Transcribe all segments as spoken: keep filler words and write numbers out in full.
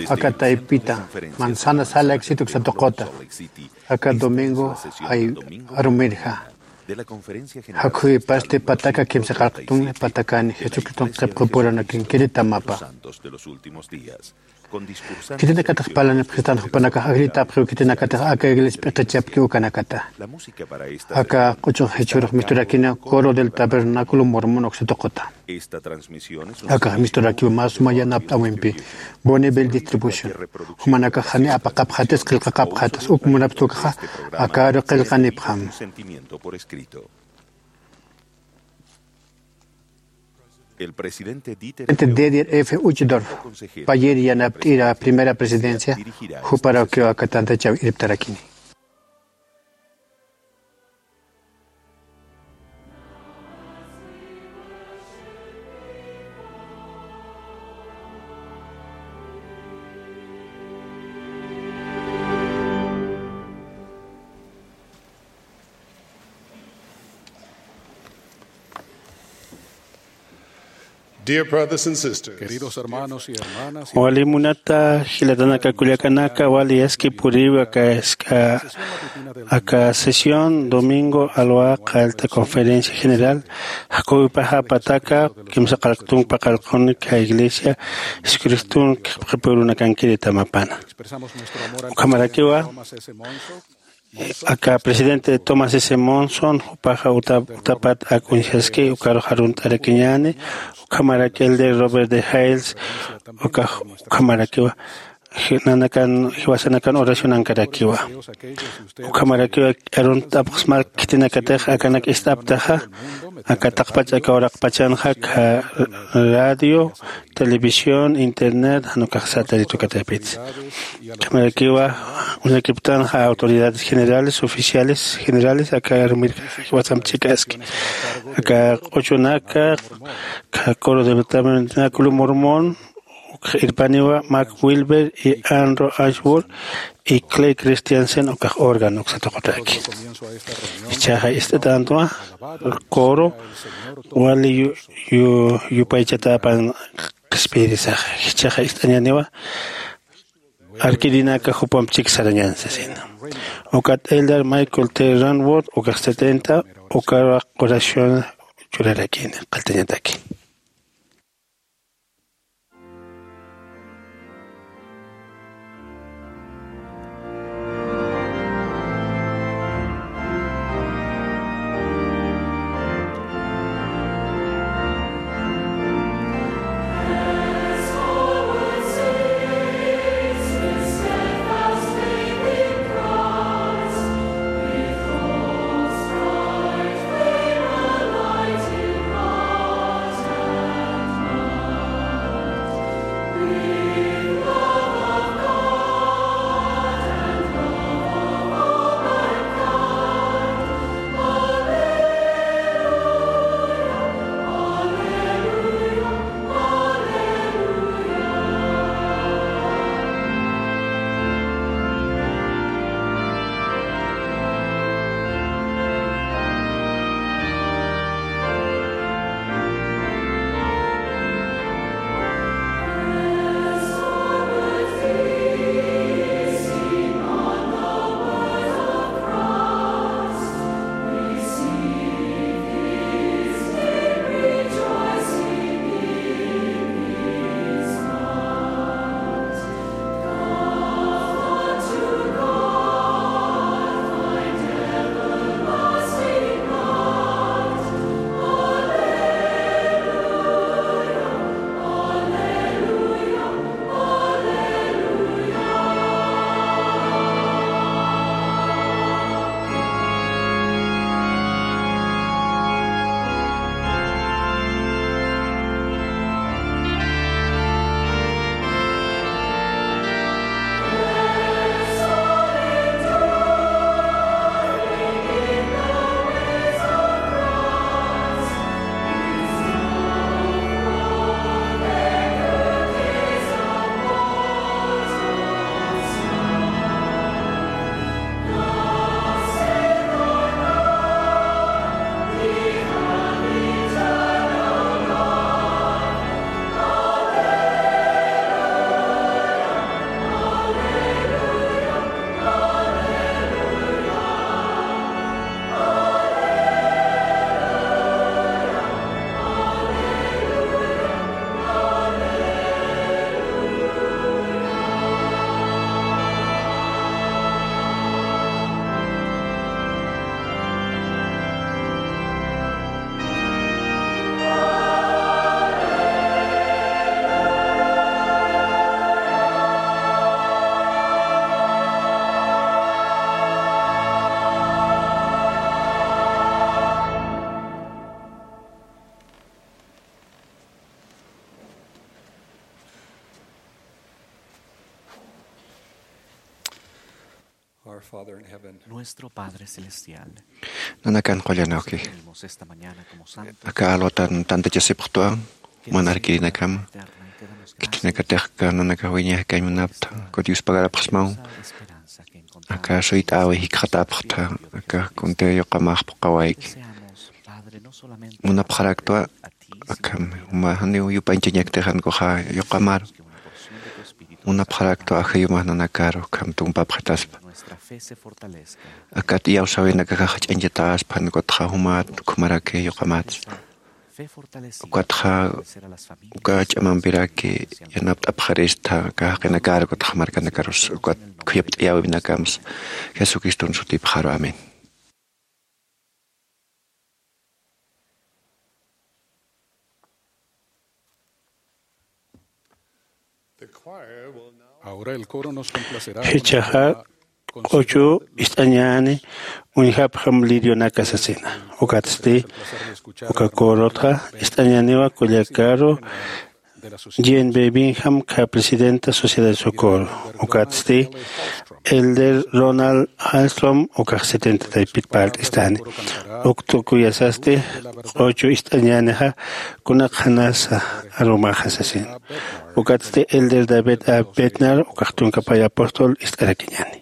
Aka taypita manzana sala éxito uksa tuquta. Aka domingo jay arumirja. Jakhuypasti pataka kimsa qarqtun patakani Jesucriston qhipqipuranakinkiri tamapa. Khitinakatix parlanipxistan jupanakax agritapxiw khitinakatix aka iglesia p'iqichapki ukanakata. Aka q'uchux jichhürux misturakina Coro del Tabernáculo Mormón uksa tuquta. Akax misturakiw mä suma yanapt'äwimpi. Bonneville Distribution. Jumanakax jani apaqapxatas qillqaqapxatas uk munapxta ukaxa akaru qillqanipxam. Presidente Dieter F. Uchtdorf, payïr yanapt'ir a Primera Presidencia, juparakiw aka tantachaw irptarakini. Dear brothers and sisters, queridos hermanos y hermanas, wali munata jilatanaka kullakanaka, wali yaski puriw aka, aka, aka sesión domingo alwa qallta conferencia general, jakuwipaxa pataka kimsa qarqtun paqallqun aka iglesia Jesucriston qhipqipurunakankiri tamapana. Ukhamarakiwa, aka presidente Thomas S. Monson, jupaxa uta-, utapat ak uñjaski, ukarux arunt'arakiñäni, ukhamaraki elder Robert D. Hales, ukax, ukhamarakiwa, ji-, nanakan, jiwasanakan oracionankarakiwa. Ukhamarakiwa, arunt'apxsma khitinakatix, akanak ist'aptaxa, aka taqpach aka uraqpachanxa, aka radio, televisión, internet, jan ukax satélite ukataypitsa. Ukhamarakiwa, uñakiptanxa autoridades generales, oficiales generales, aka arumir jiwasamp chikaski. Aka q'uchunaka, aka Coro del Tabernáculo Mormón, ukax irpaniwa Mark Wilber y Andrew Ashworth y Clay Christiansen, ukax órgano uksa tuqutaki. Jichhaxa ist'atantwa, coro, wali yu-, yu-, yupaychatapan qhispiyirisaxa. Jichhaxa ist'añäniwa, arkirinaka jupamp chik sarañän sasina. Ukat elder Michael T. Rainbolt, ukax setenta, ukarux oración churarakini, qalltañataki. Our Father in heaven, Nuestro Padre Celestial, nanakan qullan awki, venimos esta mañana como santos, aka alwatan tantachasipxtwa, manarkirinakama, eterna, y quedamos gracias, khitinakatix aka nanakax wiñax kañ munapta, ukat yuspagarapxsmaw, esa esperanza que encontramos, aka suyt'äwi jikxatapxta, aka kuntix yuqamax phuqhawayki. Deseamos, Padre, no solamente munapxaraktwa, akham juma janiw yupañchañaktix jan ukaxa yuqamar. Munapxaraktwa ajayumax nanakaru, ukham tumpapxitaspa. Akat iyawsäwinakaxa jach'añchatäspa, jan ukatxa jumat ukhamaraki yuqamatsa. Ukatxa uka ch'amampiraki yanapt'apxarista, aka jaqinakaru, ukatxa markanakarus, ukat khuyapt'ayäwinakamsa. Jesucriston sutipxaru, amén. Ahora el coro nos complacerá. Jichhaxa q'uchu ist'añäni uñjapxam lirionaka sasina. Ukatsti uka corotxa ist'añäniwa kullakaru Jean B. Bingham, kha presidenta Sociedad de Socorro. Ukatsti Elder Ronald Hallstrom, ukax setenta taypit parlt'istani. Uk tukuyasasti q'uchu ist'añänixa kunaqxanasa arumaxa sasin. Ukatsti Elder David A. Bednar, ukax tunka pay apóstol ist'arakiñäni.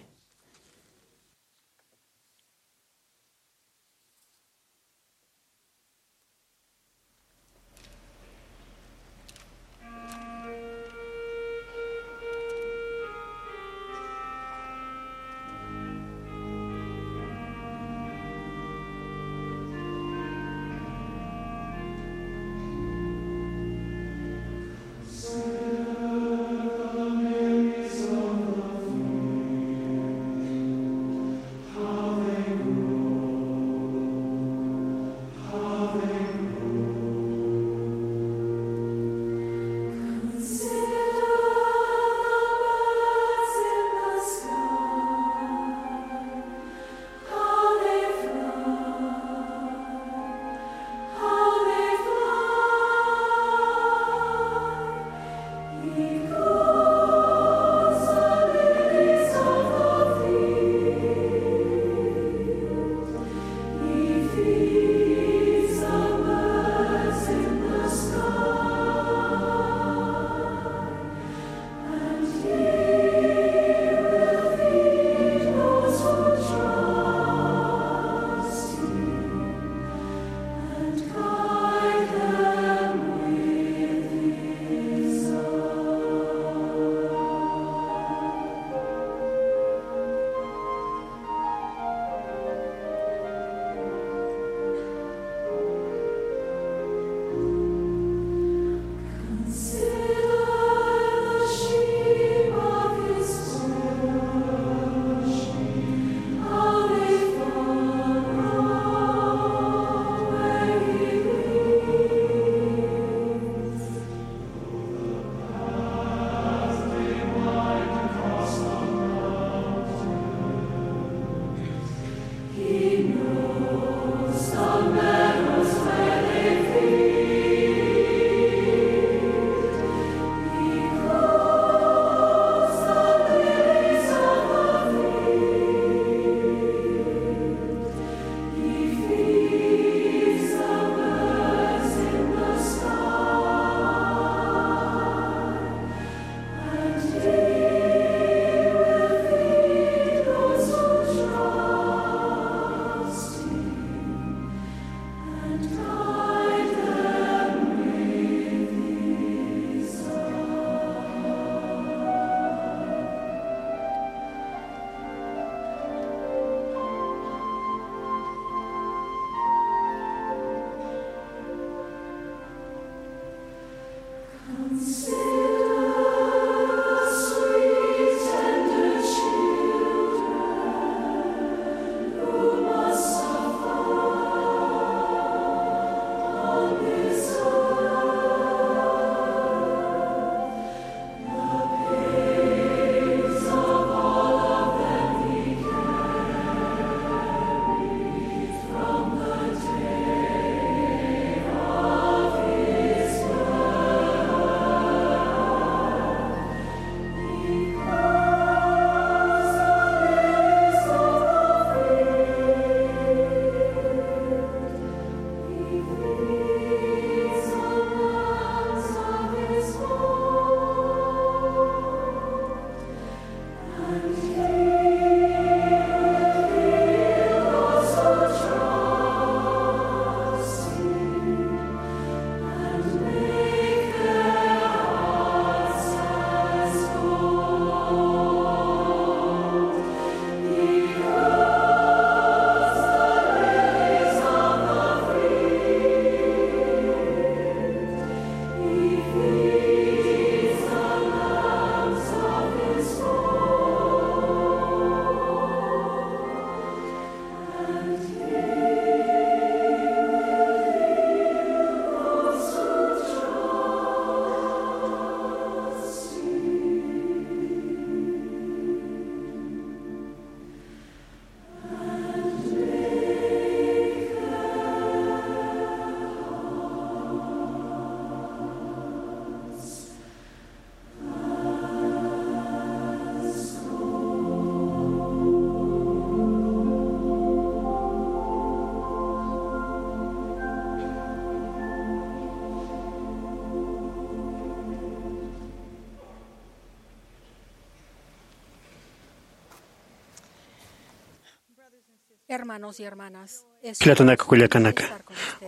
Hermanos y hermanas, es un placer estar con ustedes. Jilatanaka kullakanaka,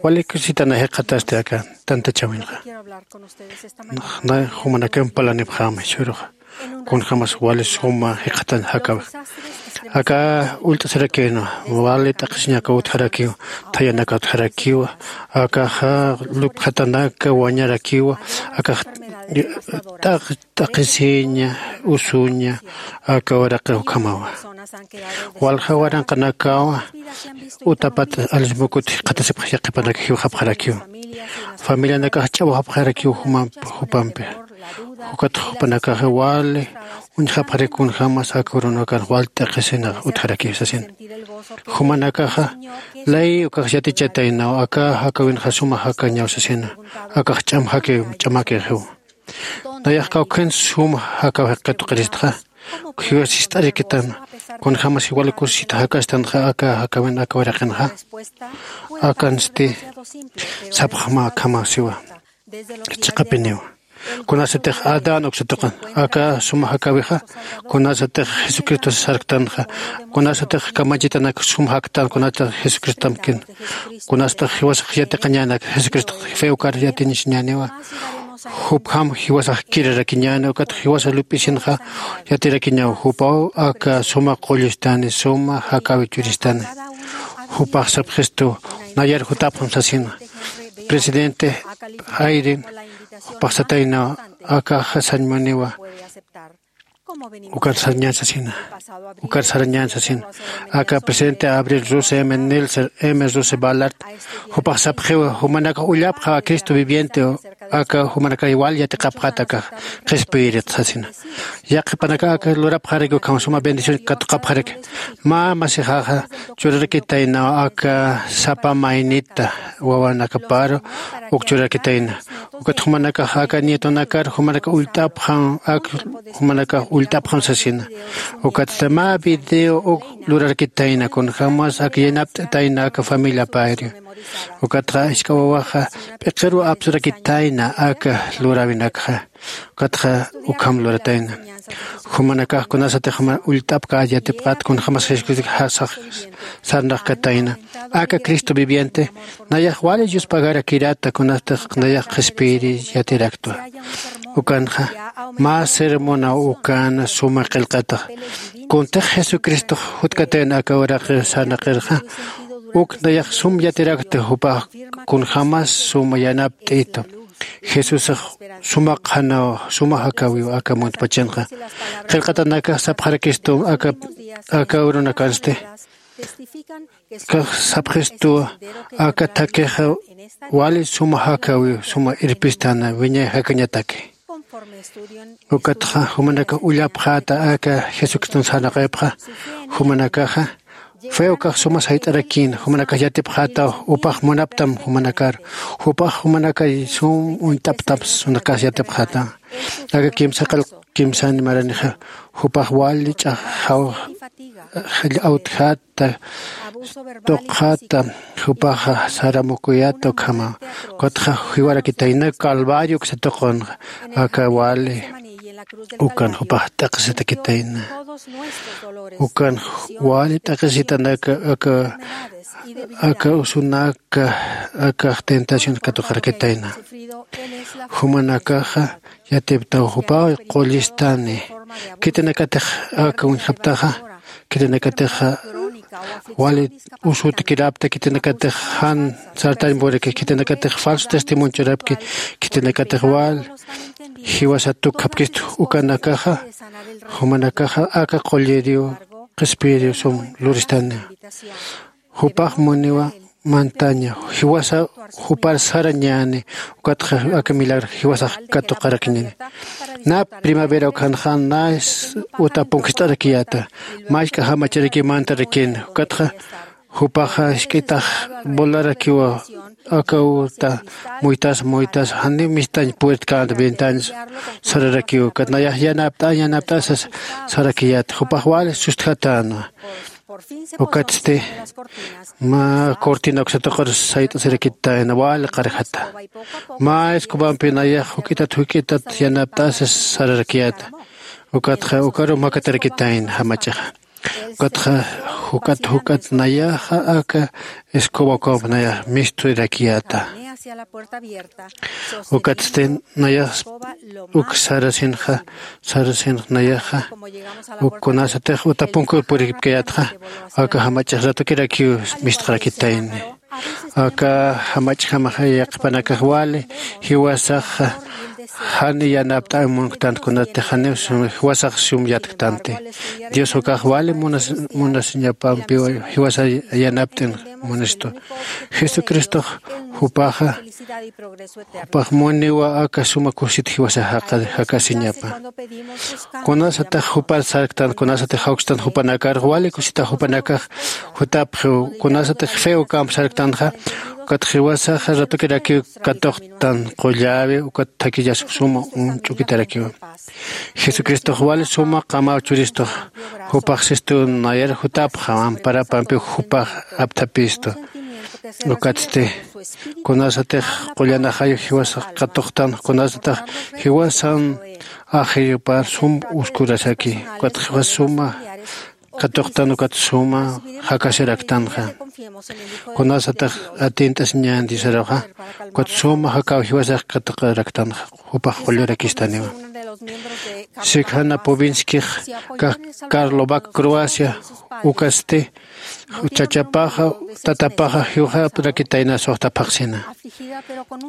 wali kusitana jiqatasti aka tantachawinxa. Quiero hablar con ustedes esta mañana. Nay jumanakan parlanipxäma jichhüruxa kunjämas wali suma jikxatan jakäwix. Aka ullt'asirakïnwa, wali t'aqhisiñaka utjarakiw, thayanaka utjarakiw, akaxa lupjatanaka wañarakiwa, akax t'aq t'aqhisiña, usuña, aka uraqix ukhamawa. Walja waranqanakawa utapat allismukut jikxatasipx yaqhipanaka jiwxapxarakiw. Familianakax ch'awxapxarakiw jumamp jupampi. Ukat jupanakaxa wali uñjapxarak kunjämas aka urunakan wal t'aqhisinax utjarakiw sasina. Jumanakaxa ley ukax yatichataynaw, aka jakäwinxa suma jakäñaw sasina. Akax ch'am jakäkiw, ch'amäkixiw. Nayax kawkhan sum jakäw jikxat tuqiristxa, jiwas jist'arakitan, kunjämas jiwal kusisita jakästanxa aka jakäwin aka uraqinxa. Akansti sapxma akhama siwa. Chiqapiniw. Kunasatix Adán uksa tuqin, aka suma jakäwixa, kunasatix Jesucristo sarktanxa, kunasatix kamachitanak sum jaktan, kunasatix Jesucristomkin, kunasatix jiwasax yatiqañänak, Jesucristo fe ukar yatiñasiñäniwa. Jupjam jiwasax kirarakiñäni, ukat jiwasa lup'isinxa yatirakiñaw, jupaw aka suma qullistani, suma jakäwi churistani. Jupax sapxistu, nayar jutapxam sasina. Presidente Hayden, jupax sataynaw, akaxa sañ muniwa. Ukar sarañän sasina. Ukar sarañän sasina. Aka presidente Abril Rose M. Nelson, M. Rose Ballard, jupax sapxiwa, jumanakax ullapxä Cristo viviente, aka jumanakax wal yatiqapxät akax qhispiyirit sasina. Yaqhipanakax aka lurapxaraki ukham suma bendición katuqapxaraki. Mä masixaxa churarakitaynaw aka sapa maynita wawanakaparu uk churarakitayna. Ukat jumanakax aka nietonakar jumanakax ullt'apxam, ak jumanakax ullt'apxam sasina. Ukat mä video uk lurarakitayna, kunjämas ak yanapt'tayna aka familiapayri. Ukatxa jisk'a wawaxa p'iqiru apsurakitayna aka luräwinakxa. Ukatxa ukham luratayna. Jumanakax kunasatix juma ullt'apkät yatipxät, kunjämas Jesucristo sax sarnaqkatayna. Aka Cristo viviente, nayax wali yuspagarakirata, kunasatix nayax qhispiyiri yatiraktwa. Ukanxa, mä sermonaw ukana suma qillqatax. Kuntix Jesucristox jutkatayna aka uraqi sarnaqirxa, uk nayax sum yatirakta jupax kunjämas suma yanapt'itu. Jesusax suma qhanaw, suma jakäwiw aka muntpachanxa. Qillqatanakax sapxarakistu aka, aka urunakansti. Kax sapxistuwa aka thakixa wali suma jakäwiw, suma irpistana, wiñay jakañataki. Ukatxa jumanakax ullapxäta aka Jesucriston sarnaqipxa, jumanakaxa fe ukax suma sayt'arakïn, jumanakax yatipxätaw, jupax munaptam jumanakar, jupax jumanakay sum uñt'aptam, jumanakax yatipxätaw. Aka kimsa qillq, kimsan maranixa, jupax wali ch'axaw, awtjäta, tuqjäta, jupaxa saramukuyäta ukhama, ukatxa jiwarakitayna Calvario uksa tuqunxa, aka wali ukan jupax t'aqhisitakitayna. Ukan wali t'aqhisitanaka aka, aka usunaka, akax tentación katuqarakitayna. Jumanakaxa yatiptaw jupaw qullistani. Khitinakatix aka uñjaptaxa, khitinakatixa wali usutakirapta, khitinakatix jan sartañ puraki, khitinakatix falso testimonio churapki, khitinakatix wal jiwasa tukhapkistu ukanakaxa, jumanakaxa aka qulliriw qhispiyiriw sum luristani. Jupax muniwa mantaña, jiwasa jupar sarañäni, ukatxa aka milagro jiwasax katuqarakiñäni. Na primavera ukhanxa na uta punkist'arakiyäta, mä jisk'a jamacharakiw mantarakin, ukatxa jupaxa jisk'itax bolarakiwa, aka uta muytas, muytas, janiw mistañ puertkänta, ventanas sararakiw, ukat nayax yanapt'a, yanapt'asa sarakiyäta, jupax wali sustjatänwa. Ukatsti mä cortina uksa tuqir sayt'asirakitayna wali qarjata. Mä escobampi nayax juk'itat juk'itat yanapt'asa sararakiyäta. Ukatxa ukaru makatarakitayna jamachixa. Ukatxa Juk'at juk'at nayaxa aka escoba ukawamp nayax misturakiyäta. Ukatsti nayax uk sarasinxa, sarasinx nayaxa uk kunasatix uta punkur puripkayätxa, aka jamach'ix ratukirakiw mistxarakitayni. Aka jamach'jamaxa yaqhipanakax wali jiwasaxa jan yanapt'äwi munktanti, kunatix janiw sum jiwasax sum yatktanti. Dios ukax wali munas munasiñapampiw jiwasa yanapt'in munistu. Jesucristox jupaxa jupax muniwa aka suma kusit jiwasa jakasiñapa. Kunasatix jupar sarktan, kunasatix jawkstan jupanakar wali kusita jupanakax jutapxiw. Kunasatix fe ukamp sarktanxa ukat jiwasaxa ratukirakiw katuqtan qulläwi ukat thakillas suma uñch'ukitarakiwa. Jesucristox wali suma qamaw churistux jupax sistu nayar jutapxa amparapampiw jupax apthapistu. Ukatsti kunasatix qullanaxayu jiwasax katuqtan, kunasatix jiwasan ajirupar sum uskurasaki ukat jiwas suma katuqtan ukat suma jakasiraktanxa. Kunasatix atint'asiñän diosaruxa ukat suma jakaw jiwasax katuqaraktanxa, jupax qullurakistaniwa. Sikjana povinskix kax karlovac croacia ukasti chachapaxa tatapaxa jiwxarakitayna suxta phaqsina.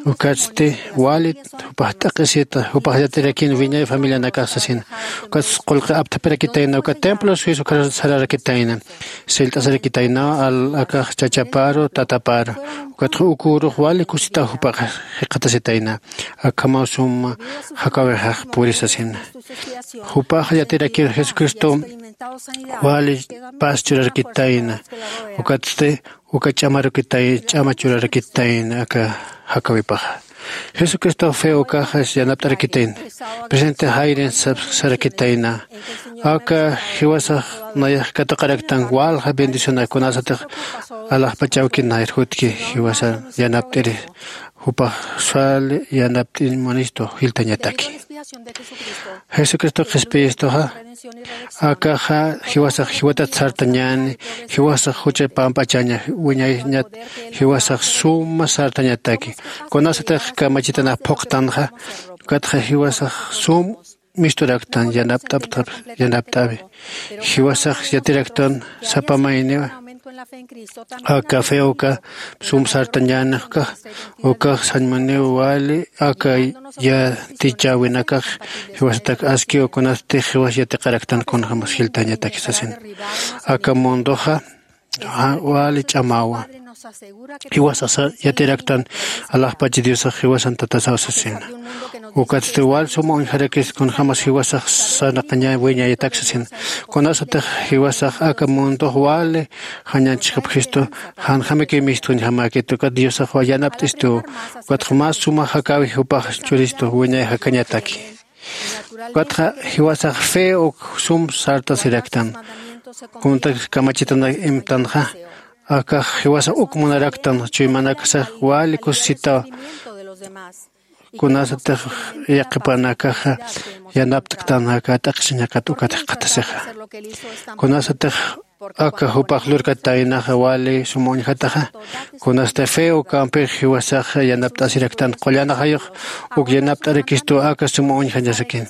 Ukatsti wali jupax t'aq'isita jupax yatirakin wiñay familianakax sasina. Ukatsti qulqi apthapirakitayna ukat templo suizo ukhar sararakitayna. Sillt'asarakitaynaw al akax chachaparu tataparu. Ukatxa ukürux wali kusitaw jupax jikxatasitayna. Akhamaw suma jakawixax puri sasina. Jupax yatirakir jesucristom wali paz churarakitayna. Ukatsti uka ch'amarukitay ch'ama churarakitayna aka jakawipaxa. Jesucristox fe ukaxa yanapt'arakitayna. Presidente jairin sarakitayna aka jiwasax nayax katuqaraktan walja bendicionak kunasatix alaxpachawki nayar jutki jiwasa yanapt'iri. Jupax sal yanapt'in munistu jiltañataki. Jesucristo qhispiyistuxa akaxa jiwasax jiwatat sartañäni. Jiwasax jucha pamp'achaña wiñayñat jiwasax suma sartañataki. Kunasatix kamachitanax phuqtanxa ukatxa jiwasax sum misturaktan yanapt'aptap yanapt'awi. Jiwasax yatiraktan sapa mayniwa aka fe uka sum sartañäni ukax ukax sañmuniw wali aka yatichäwinakax jiwasatak askiw kunasti jiwas yatiqaraktan kunjämas jiltañataki sasin. Aka mundoxa wali ch'amawa. Jiwasax yatiraktan alaxpachi diosax jiwasan tatasaw sasina. Ukatsti wal suma uñjarakis kunjämas jiwasax sarnaqaña wiñayatak sasina. Kunasatix jiwasax aka mundox wali jañanchixapxistu janjämaki mistxuñjamäkit ukat diosax yanapt'istu. Ukatxa mä suma jakäwi jupax churistu wiñay jakañataki. Ukatxa jiwasax fe uk sum sartasiraktan. Kunta kamachitanak imtanxa akax jiwasax uk munaraktan chuymanakasax wali kusisitaw. Kunasatix yaqhipanakaxa yanapt'ktan aka t'aqhisiñakat ukat jikxatasixa. Kunasatix aka jupax lurkataynaxa wali suma uñjataxa. Kunasti fe ukampix jiwasax yanapt'asiraktan qullanaxayux uk yanapt'arakistu aka suma uñjañasakin.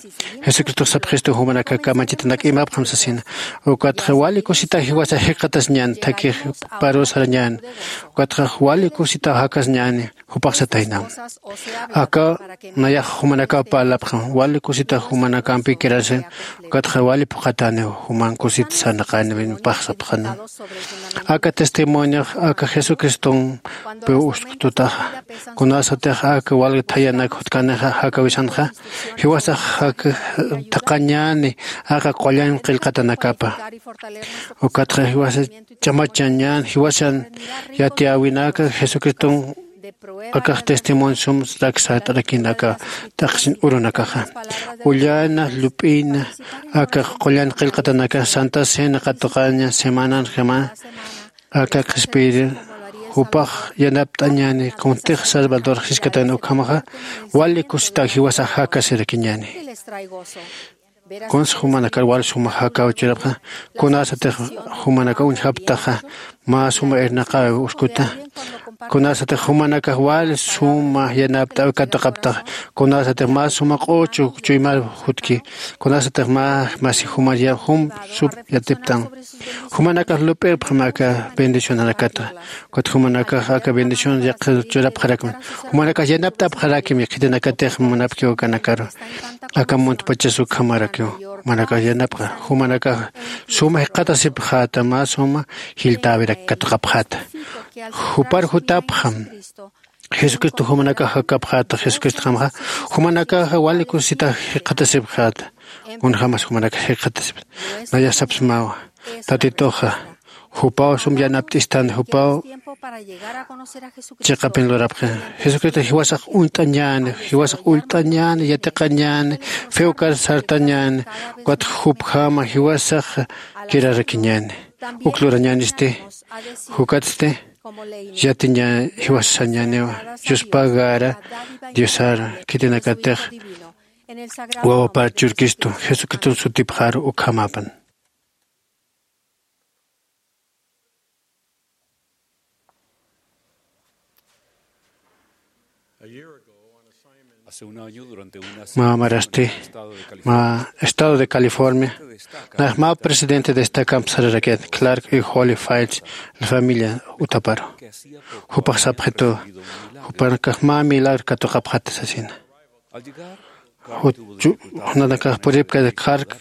Jesucristox sapxistu jumanaka kamachitanak imapxam sasina. Ukatxa wali kusita jiwasax jikxatasiñäni thakix parusarañäni. Ukatxa wali kusita jakasiñäni jupax satayna. Aka nayax jumanakaw parlapxam wali kusita jumanakampi quedarse. Ukatxa wali phuqhatäniw juman kusit sarnaqäniwinpax sapxana. Aka testimoniox aka jesucristompiw usktutaxa. Kunasatix aka walja thayanak jutkanixa jakawisanxa jiwasax thaqhañäni aka qullañ qillqatanakapa. Ukatxa jiwasa ch'amachañän jiwasan yatiyäwinaka jesucriston akax testimonio sum rak sart'arakinaka t'aqhisin urunakaxa. Ullana llup'ina aka qullañ qillqatanaka santa cena katuqaña semananjama aka qhispiyiri jupax yanapt'añäni kuntix salvador jiskatan ukhamaxa wali kusita jiwasax jakasirakiñäni. Kunsa jumanakar wal suma jakaw churapxa, kunasatix jumanaka uñjaptaxa mä suma irnaqawi uskuta. Kunasatix jumanakax wal suma yanapt'awi katuqaptaxa, kunasatix mä suma q'uchu chuymar jutki, kunasatix mä masi jumar ya jum sum yatiptan. Jumanakax lup'irpxam aka bendicionanakata. Ukat jumanakax aka bendición yaqha churapxarakman. Jumanakax yanapt'apxarakim khitinakatix munapkiw akanakaru. Aka muntpachas ukhamarakiw. Jumanakax yanapxa. Jumanakax suma jikxatasipxäta, mä suma jilltäwirak katuqapxäta. Jupar jutapxam. Jesucristo jumanakax jakapxäta, Jesucristo jamxa jumanakax wali kusisita jikxatasipxäta. Kunjämas jumanakax jikxatasipxäta. Naya sapsmawa. Tatituxa jupaw sum yanapt'istan, jupaw chiqapin lurapxi. Jesucristo jiwasax uñt'añäni, jiwasax ullt'añäni, yatiqañäni, few kar sartañäni, ukat jupjama jiwasax kirarakiñäni. Uk lurañänisti, jukatsti yatiña jiwasañäniwa, yuspagara, Diosara, khitinakatix wawapar churkistu, Jesucristo sutipxaru ukhamapan. Mä marasti, mä estado de California, nax mä presidente destakamp sararakiat Clark y Holly Fields, la familia utaparu. Jupax sapxitu, jupanakax mä milagro katuqapxata sasina. Juchu, nanakax puripka Clark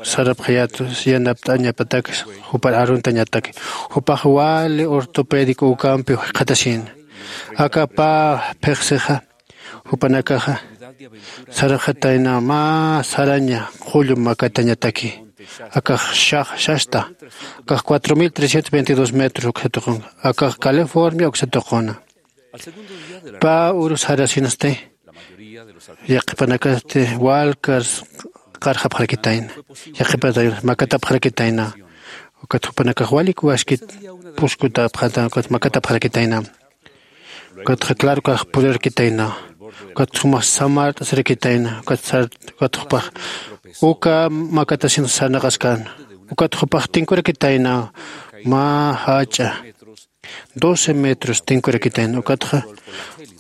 sarapxayätu, yanapt'añapatak, jupar aruntañatak. Jupax wali ortopédico ukampi jikxatasina. Aka pä phiqsixa, jupanakaxa sarapxatayna mä saraña qullu makatañataki. Akax shax, shasta. Akax cuatro mil trescientos veintidós metros uksa tuqun. Akax California uksa tuquna. Pä uru sarasinasti, yaqhipanakasti walkar qarxapxarakitayna. Yaqhipanakasti makatapxarakitayna. Ukat jupanakax walik waskit puskutapxata, ukat makatapxarakitayna. Ukatxa claro ukax purirakitayna. Ukat jumax samart'asirakitayna. Ukat sar-, ukat jupax uka makatasin sarnaqaskan. Ukat jupax tinkurakitayna. Mä jach'a doce metros tinkurakitayna. Ukatxa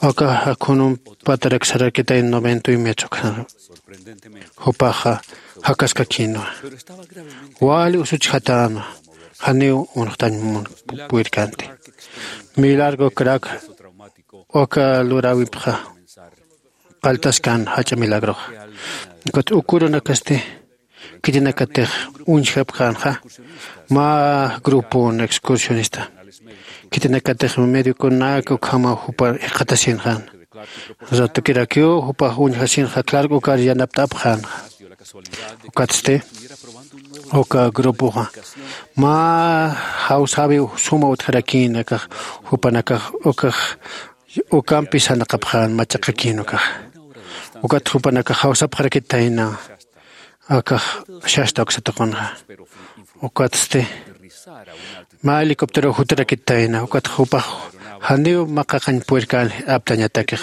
aka jakhunum patarak sarakitayna noventa y un metros ukxa. Jupaxa jakaskakïnwa. Wali usuchjatäna. Janiw unxtañ mun pu-, purirkänti. Milagro Clark uka luräwipxa qalltaskan jach'a milagroxa. Ukat uk urunakasti khitinakatix uñjapxänxa mä grupon excursionista. Khitinakatix mediokunak ukhama jupar jikxatasinxän. Ratukirakiw jupax uñjasinxa Clark ukar yanapt'apxänxa. Ukatsti uka grupoxa mä jawsäwiw suma utjarakïn, akax jupanakax ukax ukampi sarnaqapxän, machaqakïn ukax. Ukat jupanakax jawsapxarakitayna. Akax shasta uksa tuqunxa. Ukatsti mä helicóptero jutarakitayna. Ukat jupax janiw maqaqañ purirkän aptañatakix.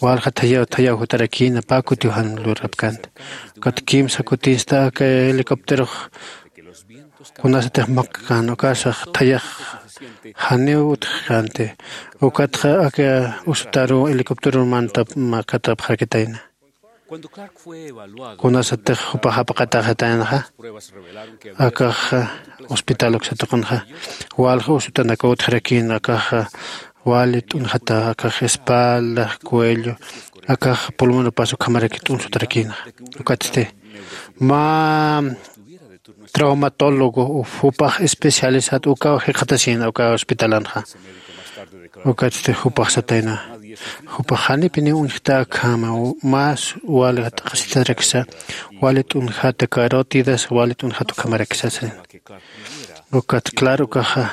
Walja thayaw, thayaw jutarakïna, pä kutiw jan lurapkänti. Ukat kimsa kutinsta aka helicópterox kunasatix maqaqän, ukasax thayax janiw utjkänti. Ukatxa aka usutaru helicóptero mantap makatapxarakitayna. Kunasatix jupax japaqataxataynaxa, akax hospital uksa tuqunxa, walja usutanakaw utjarakïn, akax wali t'unjata, akax espalda, cuello, akax pulmonopas ukhamaraki t'unsutarakïnxa. Ukatsti mä traumatólogo, jupax especialista ukaw jikxatasïna uka hospitalanxa. Ukatsti jupax satayna, jupax janipiniw uñjta akhama, u-, más wali t'aqasitaraksa, wali t'unjata carótidas, wali t'unjata ukhamaraksa sasina. Ukat claro ukaxa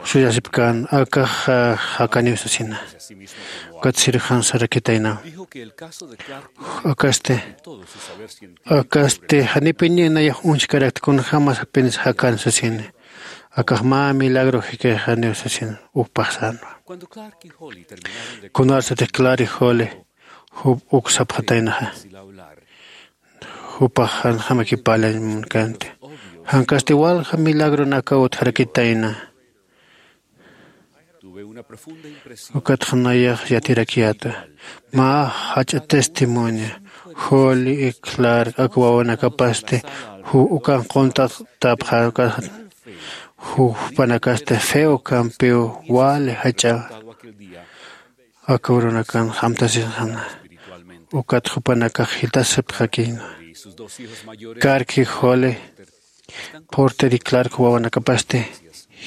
suyasipkän, akax jakaniw sasina. Ukat cirujano sarakitayna. Akasti, akasti janipini nayax uñjkarakta, kunjämas apenas jakan sasini. Akax mä milagro jikixaniw sasin, jupax sänwa. Kunarsatix Clark y Holly jup uk sapxataynaxa. Jupax janjamakipälañ munkanti. Jankasti walja milagronakaw utjarakitayna. Ukatxa nayax yatirakiyäta mä jach'a testimonio. Joli y clark ak wawanakapasti ukan qunt'atapxä. Jupanakasti feo kampiw wali jach'a aka urunakan amtasisxana. Ukat jupanakax jitasipxakïna. Karki joli porteri clark wawanakapasti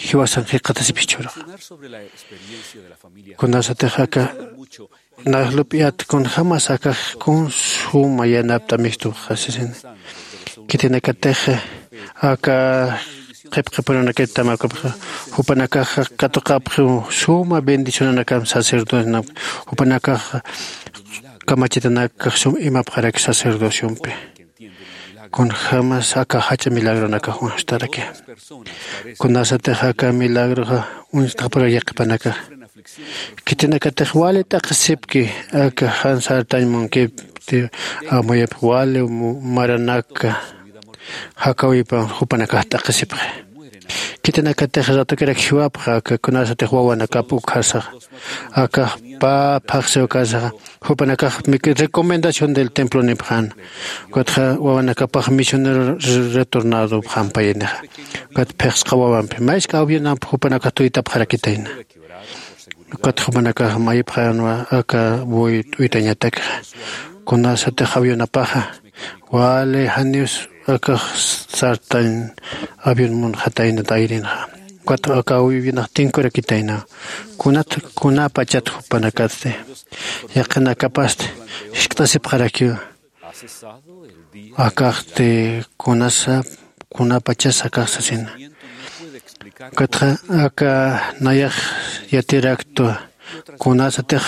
jiwasan jikxatasipxi churaxa. Kunasatix aka najlup'iyat kunjämas akax kun suma yanapt'amistupxasisina. Khitinakatix aka qhipqhipurunakit tamakapxa jupanakaxa katuqapxi suma bendicionanakam sacerdocionakam. Jupanakaxa kamachitanakax sum imapxaraki sacerdociompi. Kunjämas aka jach'a milagronakax uñjtaraki. Kunasatix aka milagroxa uñstxapura yaqhipanakax khitinakatix wali t'aqhisipki. Aka jan sartañ munkipti amuyapx wali maranaka jakawipan jupanakax t'aqhisipxi. Khitinakatix ratukirak jiwapxa aka kunasatix wawanakap ukhasaxa akax pä phaxsiw kasaxa jupanakax recomendación del templo nipxän. Ukatxa wawanakapax misionero retornadopxampayinixa. Ukat phixsqa wawampi maysk'a avionamp jupanakax tuytapxarakitayna. Ukat jupanakax mayipxänwa aka buy t'uytañatakxa kunasatix avionapaxa wali janiws akax sartañ avion munxatayna tayrinxa. Ukat aka avionax tinkurakitayna. Kunat kunapachat jupanakatsti yaqhinakapasti jiskt'asipxarakiw. Akaxti kunasa kunapachas akax sasina. Ukatxa aka nayax yatiraktwa kunasatix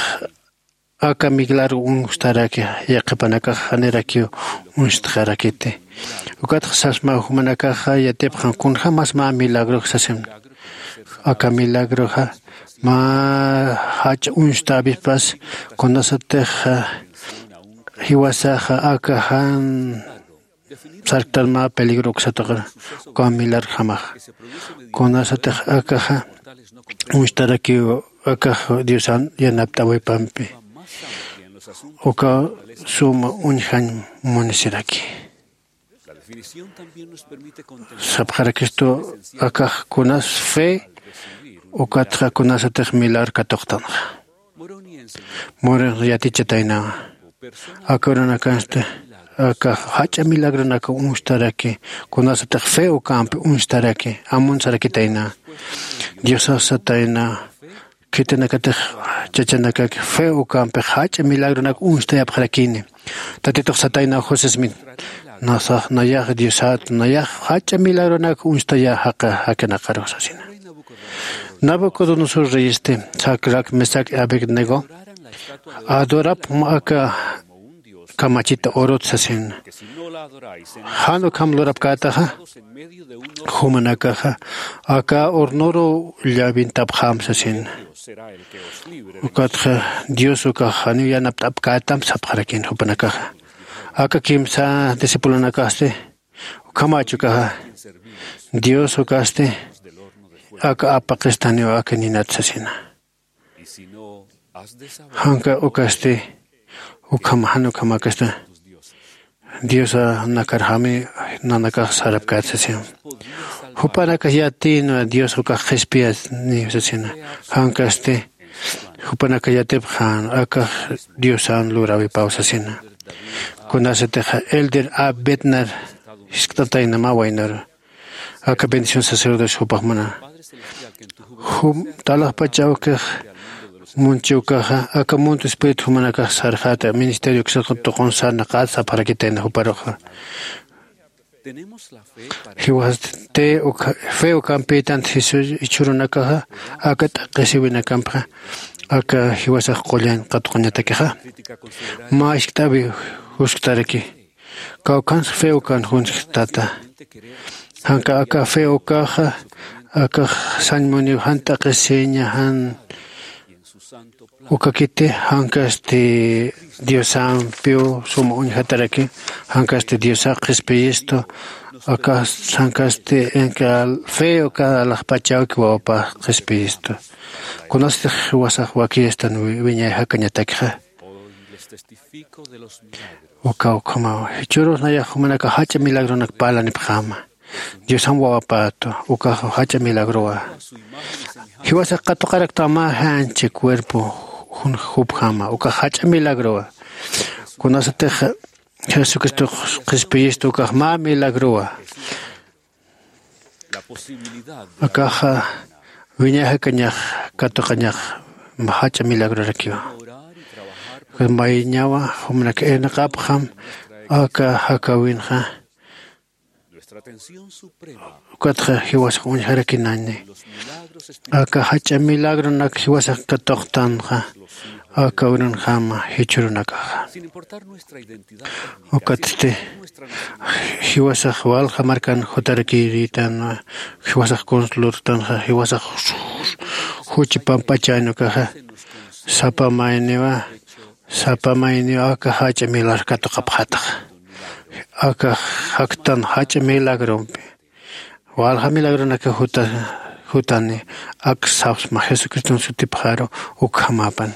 aka milagro uñstaraki. Yaqhipanakax janirakiw uñstxarakiti. Ukatxa sasma jumanakaxa yatipxan kunjämas mä milagrox sasimna. Aka milagroxa mä jach'a uñstäwipas kunasatix jiwasaxa aka jan sarktan mä peligro uksataqar uka milarjamax. Kunasatix akaxa uñstarakiw akax diosan yanapt'awipampi uka suma uñjañ munisiraki. Sapxarakistu akax kunas fe ukatxa kunasatix milar katuqtanxa. Murinx yatichataynawa aka urunakansti akax jach'a milagronak uñstaraki kunasatix fe ukampi uñstaraki amun sarakitayna. Diosax satayna khitinakatix chachanakaki fe ukampix jach'a milagronak uñstayapxarakini. Tatitux satayna josesmin nasax nayax diosat nayax jach'a milagronak uñstaya jaqa jakinaqarux sasina. Nabucodonosor reyesti sacrac mesac y abednego adorapxam aka kamachita urut sasin. Jan ukham lurapkätaxa jumanakaxa aka hornoru llawintapxam sasin. Ukatxa dios ukax janiw yanapt'apkätam sapxarakin jupanakaxa. Aka kimsa discipulonakasti ukhamach ukaxa dios ukasti aka apaqistaniw aka ninat sasina. Janka ukasti ukham jan ukhamakasta diosa nakarjami nanakax sarapkät sasin. Jupanakax yatïnwa dios ukax qhispiyat niw sasina. Jankasti jupanakax yatipxan akax diosan luräwipaw sasina. Kunasatixa elder a betnar jiskt'atayna mä waynaru aka bendición sacerdocio jupax mana jum talaxpacha awkix munchi ukaxa aka mundo espíritu jumanakax sarxäta ministerio uksa tuqun sarnaqät sapxarakitayna juparuxa. Jiwasti te fe ukampïtanti jesús jichhürunakaxa aka t'aqhisiwinakampxa aka jiwasax qullan qatuqañatakixa mä jiskt'äwi jusktaraki. Kawkhansa fe ukan junsktata janka aka fe ukaxa akax sañ muniw jan t'aqhisiña jan Ukakiti jankasti diosampiw suma uñjataraki. Jankasti diosax qhispiyistu. Akas jankasti inka fe uka alaxpachawki wawapax qhispiyistu. Kunasatix jiwasax wakiyastan wiñay jakañatakxa. Uka ukhamaw jichhürus nayax jumanaka jach'a milagronak parlanipxäma. Diosam wawapätu ukax jach'a milagrowa. Jiwasax katuqaraktaw mä janchi cuerpo jupjama ukax jach'a milagrowa. Kunasatix jesucristox qhispiyistu ukax mä milagrowa. Akaxa wiñay jakañax katuqañax jach'a milagrorakiwa. Mayñawa jumanak irnaqapxam aka jakawinxa. Ukatxa jiwasax uñjarakinañni aka jach'a milagronak jiwasax katuqtanxa. Aka urunjama jichhürunakaxa. Ukatsti jiwasax walja markan jutarakiritan jiwasax kunslurtanxa jiwasax juchi pampachäni ukaxa. Sapa mayniwa sapa mayniwa aka jach'a milar katuqapxataxa. Aka jaktan jach'a milagrompi walja milagronaka jutani. Ak sapsma jesucriston sutipxaru ukhamapan.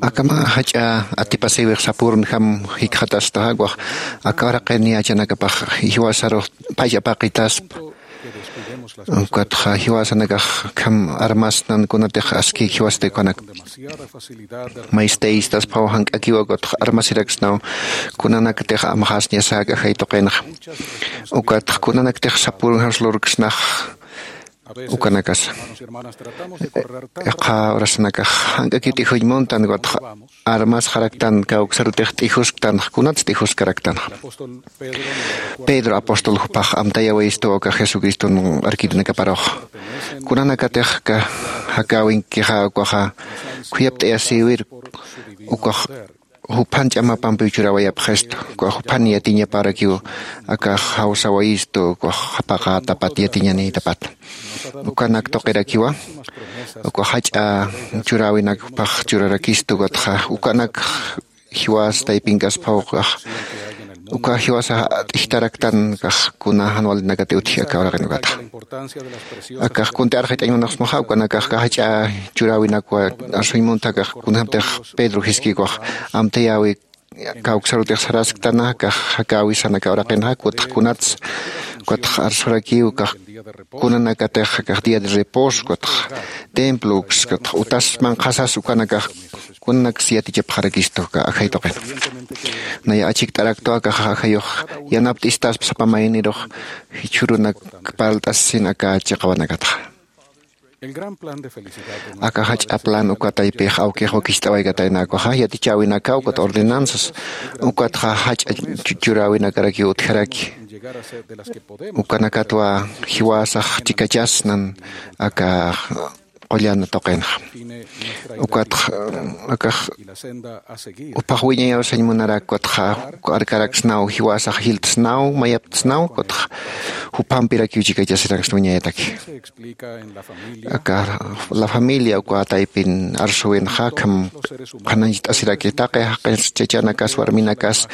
Akama jach'a atipasiwix sapürunjam jikxatastaxa, ukax aka uraqin yächanakapax jiwasarux phach apaqitaspa. Ukatxa jiwasanakax akham armasnan kunatix aski jiwasat ukanak. Maystaspaw jank'akiwa ukatxa armasiraksnaw kunanakatix amxasñasäk ajay tuqinxa. Ukatxa kunanaktix sapürunjams lurksnax ukanakasa. Yaqha urasanakax jank'akiw t'ijuymuntan, ukatxa armasxaraktan, kawksarutix t'ijusktanax, kunats t'ijuskaraktanxa. Pedro apóstol jupax amtayawistu ukax Jesucriston arkirinakaparux. Kunanakatix jakäwinkixa ukaxa khuyapt'ayasïwir, ukax juphan ch'amapampiw churäwayapxistu, ukax juphan yatiñaparakiw akax jawsawayistu, ukax japaqätapat yatiñanïtapat. Ukanak tuqirakiwa, ukax jach'a churäwinak jupax churarakistu, ukatxa ukanak jiwas taypinkasphaw ukax, uka jiwasax t'ijtaraktan, ukax kuna jan walinakati utji aka uraqin ukatxa. Akax kuntï arxit'añ munasmaxa, ukanakax jach'a churäwinakwa arsuñ munta, akax kunjamtix Pedro jiskïkwa amtayäwi kawksarutix sarasktana, akax jakäwisan aka uraqinxa, ukatxa kunats, ukatxa arsurakiw, akax kunanakatix akax día de reposo, ukatxa templo, ukatxa utas manqhasas, ukanakax kunanaks yatichapxarakistu aka ajay tuqin. Naya achikt'araktwa akax ajayux yanapt'istaspa sapa maynirux jichhürunak parlt'asisin aka chiqawanakatxa. Aka jach'a plan uka taypix awkix wakicht'awaykatayna ukaxa yatichäwinakaw ukat ordenanzas, ukatxa jach'a chu-, churäwinakarakiw utjaraki. Ukanakatwa jiwasax chikachasnan aka qullan tuqinxa. Ukatxa, akax jupax wiñayaw sañ munarak, ukatxa arkaraksnaw, jiwasax jiltsnaw, mayaptsnaw, ukatxa jupampirakiw chikachasiraksna wiñayataki. Aka La Familia uka taypin arsuwinxa, akham qhanañcht'asiraki taqi jaqis chachanakas, warminakas,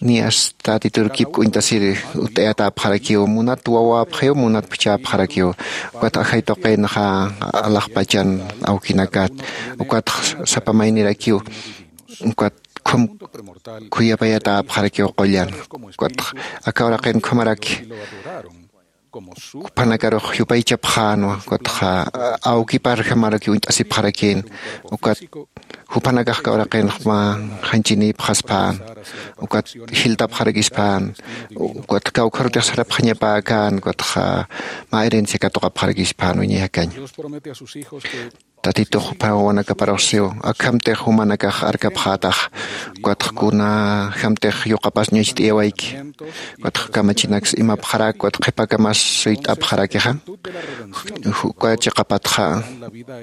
niyas Tatitur kipk'uñtasir utt'ayatäpxarakiw, munat wawäpxiw, munat phuchhäpxarakiw. Ukat ajay tuqinxa alaxpachan awkinakat, ukat sapa maynirakiw, ukat khum khuyapayatäpxarakiw qullan. Ukat aka uraqin khumaraki juphanakarux yupaychapxänwa, ukatxa awkiparjamarakiw uñt'asipxarakïn, ukat jupanakax aka uraqinx mä janchïnïpxaspän, ukat jiltapxarakispän, ukat kawkharutix sarapxañapäkän, ukatxa mä herencia katuqapxarakispän wiñay jakañ. Tatitux jupa wawanakaparux siw, akhamtix jumanakax arkapxätax, ukatxa kunjamtix yuqapas ñucht'ayawayki, ukatxa kamachinaks imapxarak, ukatxa qhipakamas suyt'apxarakixa, uka chiqapatxa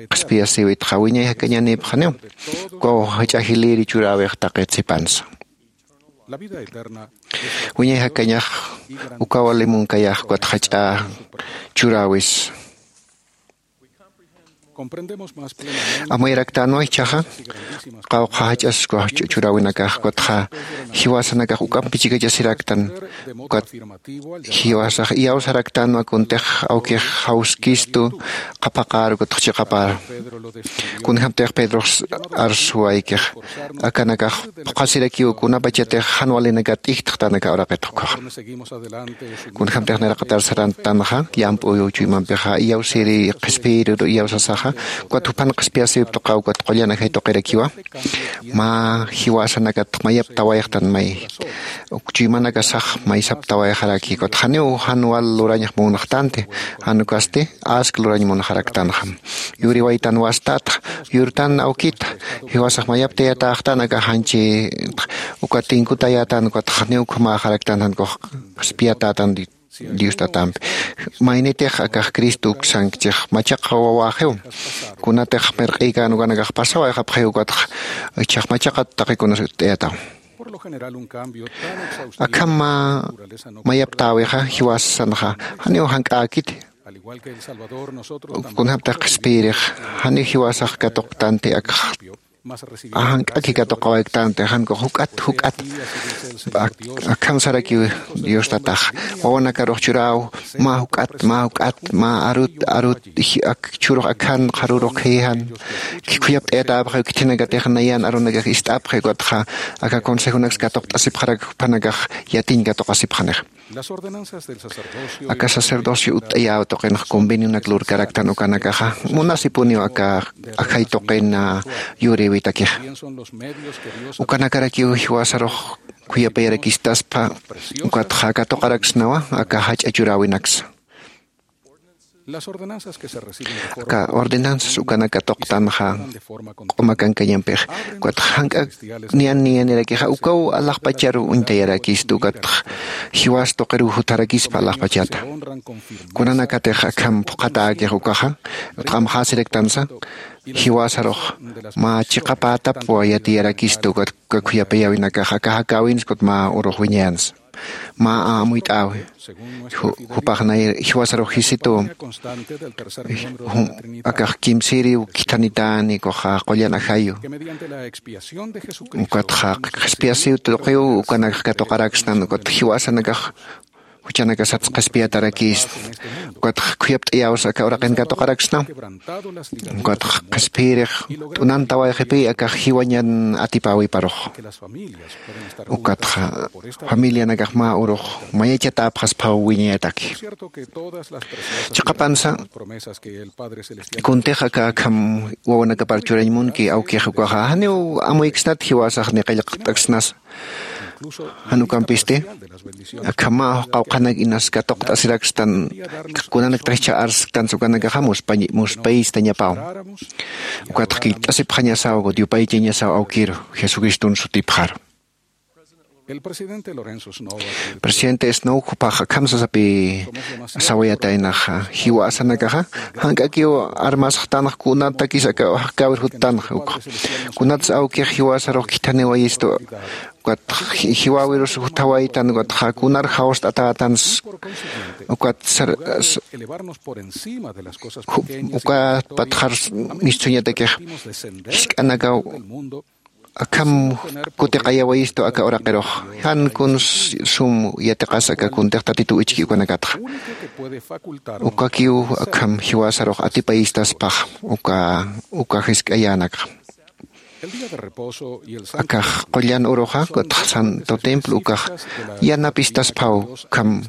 qhispiyasïwitxa wiñay jakañanïpxaniw, ukaw jach'a jilïri churäwix taqit sipansa. Wiñay jakañax uka wali munkayax, ukatxa jach'a churäwis. Amuyaraktänwa ichhaxa, qawqha jach'as uka chu-, churäwinakax, ukatxa jiwasanakax uk'ampi chikachasiraktan, ukat jiwasax iyawsaraktänwa kuntix awkix jawskistu qhapaqar, ukatxa chiqapar. Kunjamtix Pedrox arsuwaykix, akanakax phuqhasirakiw kunapachatix jan walinakat t'ijtxtan aka uraqit ukhaxa. Kunjamtix niraqatar sarantanxa, llamp'u chuymampixa iyawsiri qhispiyirur iyawsasaxa, ukat juphan qhispiyasïwip tuqaw, ukat qullan ajay tuqirakiwa. Mä jiwasanakat mayaptawayxtan, may uk chuymanakasax maysaptawayxaraki, ukat janiw jan wal lurañax munxtanti, jan ukasti ask lurañ munxaraktanxa. Yuriwaytan wastat, yurtan awkit, jiwasax mayaptayatäxtan aka janchit, ukat tinkutayätan, ukat janiw ukhamäxaraktan, jan ukax qhispiyatätan Dios Tatampi. Maynitix akax Cristo uksankchix machaqa wawäxiw. Kunatix mirq'ïkän ukanakax pasawayxapxiw, ukatxa ichhax machaqat taqikunas utt'ayataw. Akham mä mayaptäwixa jiwasanxa janiw jank'äkiti. Kunjamtix qhispiyirix, janiw jiwasax katuqtanti akxa Ajank'aki katuqawayktanti jankux juk'at juk'at. Akham sarakiw dios tatax wawanakarux churaw mä juk'at mä juk'at mä arut arut. Churux akhan qharurux khijan khuyapt'ayatäpxiw khithinakatix nayan arunakax ist'apxi ukatxa aka consejonaksa katuqt'asipxarak juphanakax yatiñ katuqasipxanixa. Aka sacerdocio utt'ayäw tuqinx convenionak lurkaraktan ukanakaxa munasipuniw aka ajay tuqin yurïwitakixa. Ukanakarakiw jiwasarux khuyapayarakistaspa ukatxa katuqaraksnawa aka jach'a churäwinaksa. Aka ordenanzas ukanak katuqtanxa q'uma kankañampix ukatxa jank'ak niyan niyanirakixa ukaw alaxpacharu uñtayarakistu ukatxa jiwas tuqiruw jutharakispa alaxpachata. Kunanakatix akham phuqhatäkix ukaxa utq'amxäsiraktansa jiwasarux mä chiqapätapwa yatiyarakistu ukat uka khuyapayäwinakax aka jakäwinsa ukat mä urux wiñayansa mä amuyt'äwi. Jupax nay jiwasarux jisitu akax kimsïriw khithanitäni ukaxa qullan ajayu ukatxa qhispiyasiw tuqiw ukanakax katuqaraksnan ukat jiwasanakax juchanakasatsa qhispiyatarakïsna. Ukatxa khuyapt'ayäwsa aka uraqin katuqaraksna ukatxa qhispiyirix t'unantawayxipï akax jiwañan atipäwiparux. Ukatxa familianakax mä urux mayachatäpxasphaw wiñayataki. Chiqapansa kuntix aka akham wawanakapar churañ munki awkix ukaxa janiw amuyksnat jiwasax ni qillqt'aksnasa. Jan ukampisti akham mä qawqhanak inas katuqt'asirakstan kunanaktax jichha arsktansa ukanakaxa muspayistañapaw. Ukatxa killt'asipxañasaw ukat yupaychañasaw awkiru jesucriston sutipxaru. Presidente snow jupax akham sasapï sawayataynaxa jiwasanakaxa jank'akiw armasxtanxa kunatakis aka jakäwir juttanxa ukxa kunatsa awkix jiwasarux khithaniwayistu ukat jiwäwirus juthawaytan ukatxa kunar jawst'atätans ukat ukat patxar mistsuñatakix jisk'anakaw akham kutiqayawayistu aka uraqirux jan kuns sum yatiqas aka kuntix tatitu ichki ukanakatxa. Ukakiw akham jiwasarux atipayistaspax uka uka jisk'ayänakxa. Akax qullan uruxa ukatxa santo templo ukax yanapistasphaw ukham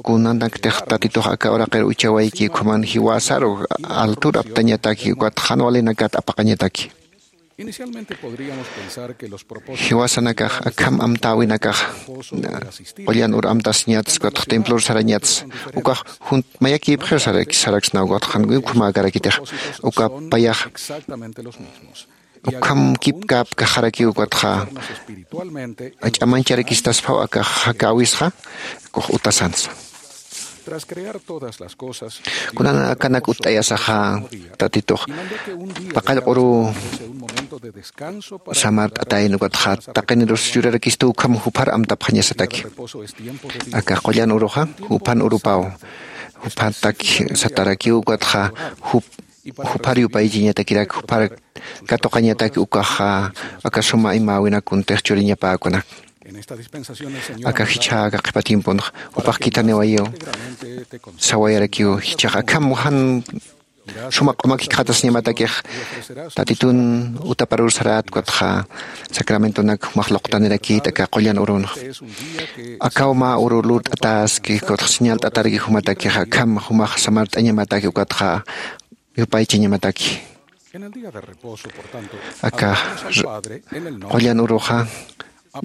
kunanaktix tatitux aka uraqir uchawayki ukhaman jiwasaru altur aptañataki ukatxa jan walinakat apaqañataki. Jiwasanakax akham amtäwinakax qullan ur amtasiñatsa ukatxa templor sarañatsa ukax mayakïpxiw saraksnaw ukatxa jan ukhamäkarakitix uka payax ukham kipkäpkaxarakiw ukatxa ach'amancharakistasphaw akax jakäwisxa kux utasansa. Kunan akanak utt'ayasaxa tatitux paqallq'uruw samart'atayna ukatxa taqinirus churarakistu ukham juphar amtapxañasataki. Akax qullan uruxa juphan urupaw juphatak satarakiw ukatxa juphar yupaychiñatakirak juphar katuqañataki ukaxa aka suma imäwinak kuntix churiñapäkunak. Aka jichhäka qhipa tiemponxa jupax khithaniwayiw sawayarakiw jichhax akham jan suma q'umakikxatasiñamatakix tatitun utaparur sarät ukatxa sacramentonak jumax luqtanirakït aka qullan urunxa. Akaw mä uru lurt'atäski ukatxa señalt'ataraki jumatakixa akham jumax samart'añamataki ukatxa yupaychañamataki. Aka qullan uruxa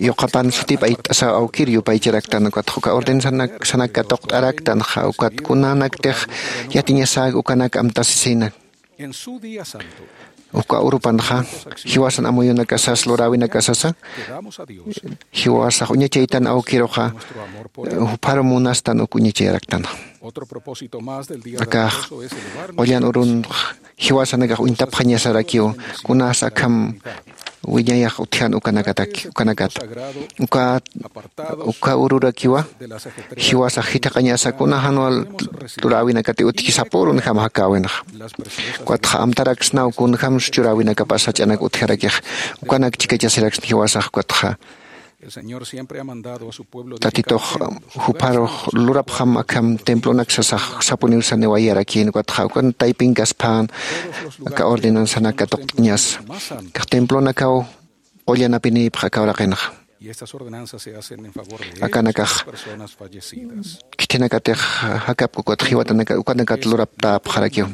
yuqapan sutip ayt'asaw awkir yupaycharaktan ukatxa uka ordenanzanak katuqt'araktanxa ukat kunanaktix yatiñasäk ukanak amtasisina. Uka urupanxa jiwasan amuyunakasas luräwinakasasa jiwasax uñachaytan awkiruxa juphar munastan uk uñachayaraktanxa. Akax qullan urunx jiwasanakax uñtapxañasarakiw kunas akham wiñayax utjan ukanakataki ukanakata. Uka uka ururakiwa jiwasax jithiqañasa kuna janwal luräwinakati utjki sapürunjam jakäwinxa. Ukatxa amtaraksnaw kunjämsa churäwinakapas jach'anak utjarakix ukanak chikachasiraksna jiwasax ukatxa. Tatitux jupharux lurapxam akham templonak sasax sapuniw saniwayarakïn ukatxa ukan taypinkasphan aka ordenanzanak katuqt'añasa kax templonakaw qullanapinïpx aka uraqinxa. Akanakax khithinakatix jakapku ukatxa jiwatanaka ukanakat luraptäpxarakiw.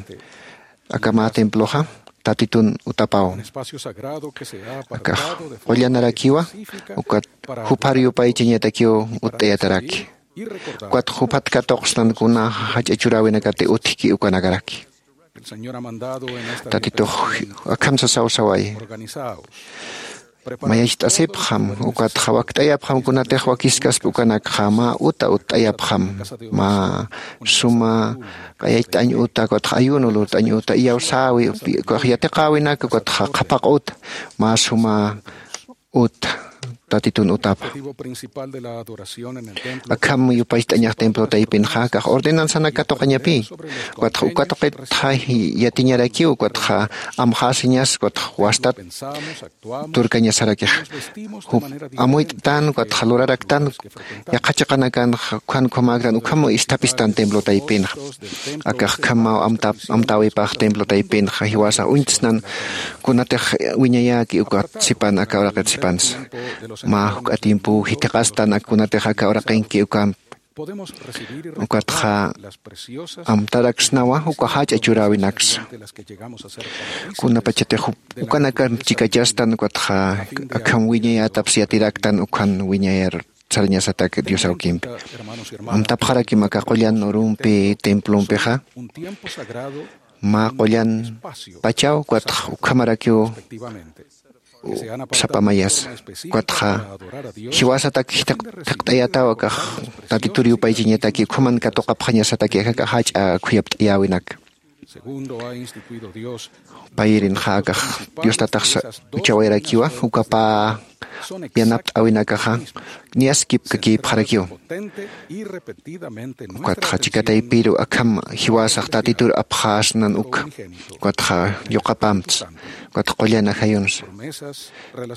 Aka mä temploxa tatitun utapaw. Akax qullanarakiwa ukat juphar yupaychañatakiw utt'ayataraki. Ukat juphat katuqsnan kuna jach'a churäwinakati utjki ukanakaraki. Tatitux akham sasaw saway. Mayacht'asipxam ukatxa wakt'ayapxam kunatix wakiskaspa ukanakxa mä uta utt'ayapxam mä suma q'ayacht'añ uta ukatxa ayuno lurt'añ uta iyawsäwi ukax yatiqäwinak ukatxa qhapaq uta mä suma uta tatitun utapa. Akham yupacht'añax templo taypinxa kax ordenanzanak katuqañapï ukatxa ukatuqitxa yatiñarakiw ukatxa amxäsiñas ukatxa wastat turkañasarakix. Amuyt'tan ukatxa luraraktan yaqha chiqanakanxa ukham ukhamäktan ukham isthapistan templo taypinxa. Akax ukhamaw amtäwipax templo taypinxa jiwasax uñtsnan kunatix wiñayäki ukat sipan aka uraqit sipansa mä juk'a tiempow jithiqastan kunatix aka uraqinki ukampi ukatxa amtaraksnawa uka jach'a churäwinaksa. Kunapachatix ukanakam chikachastan ukatxa akham wiñayätaps yatiraktan ukhan wiñayar sarañasatak dios awkimpi. Amtapxarakim aka qullan urumpi templompixa mä qullan pachaw ukatxa ukhamarakiw sapa mayasa ukatxa jiwasatak thiqt'ayataw akax tatitur yupaychañataki ukhaman katuqapxañasataki akax jach'a khuyapt'ayäwinak. Payirinxa akax dios tatax uchawayarakiwa ukapä yanapt'äwinakaxa niyaskipkakïpxarakiw. Ukatxa chika taypiru akham jiwasax tatitur apxäsnan uka ukatxa yuqapamts ukatxa qullan ajayunsa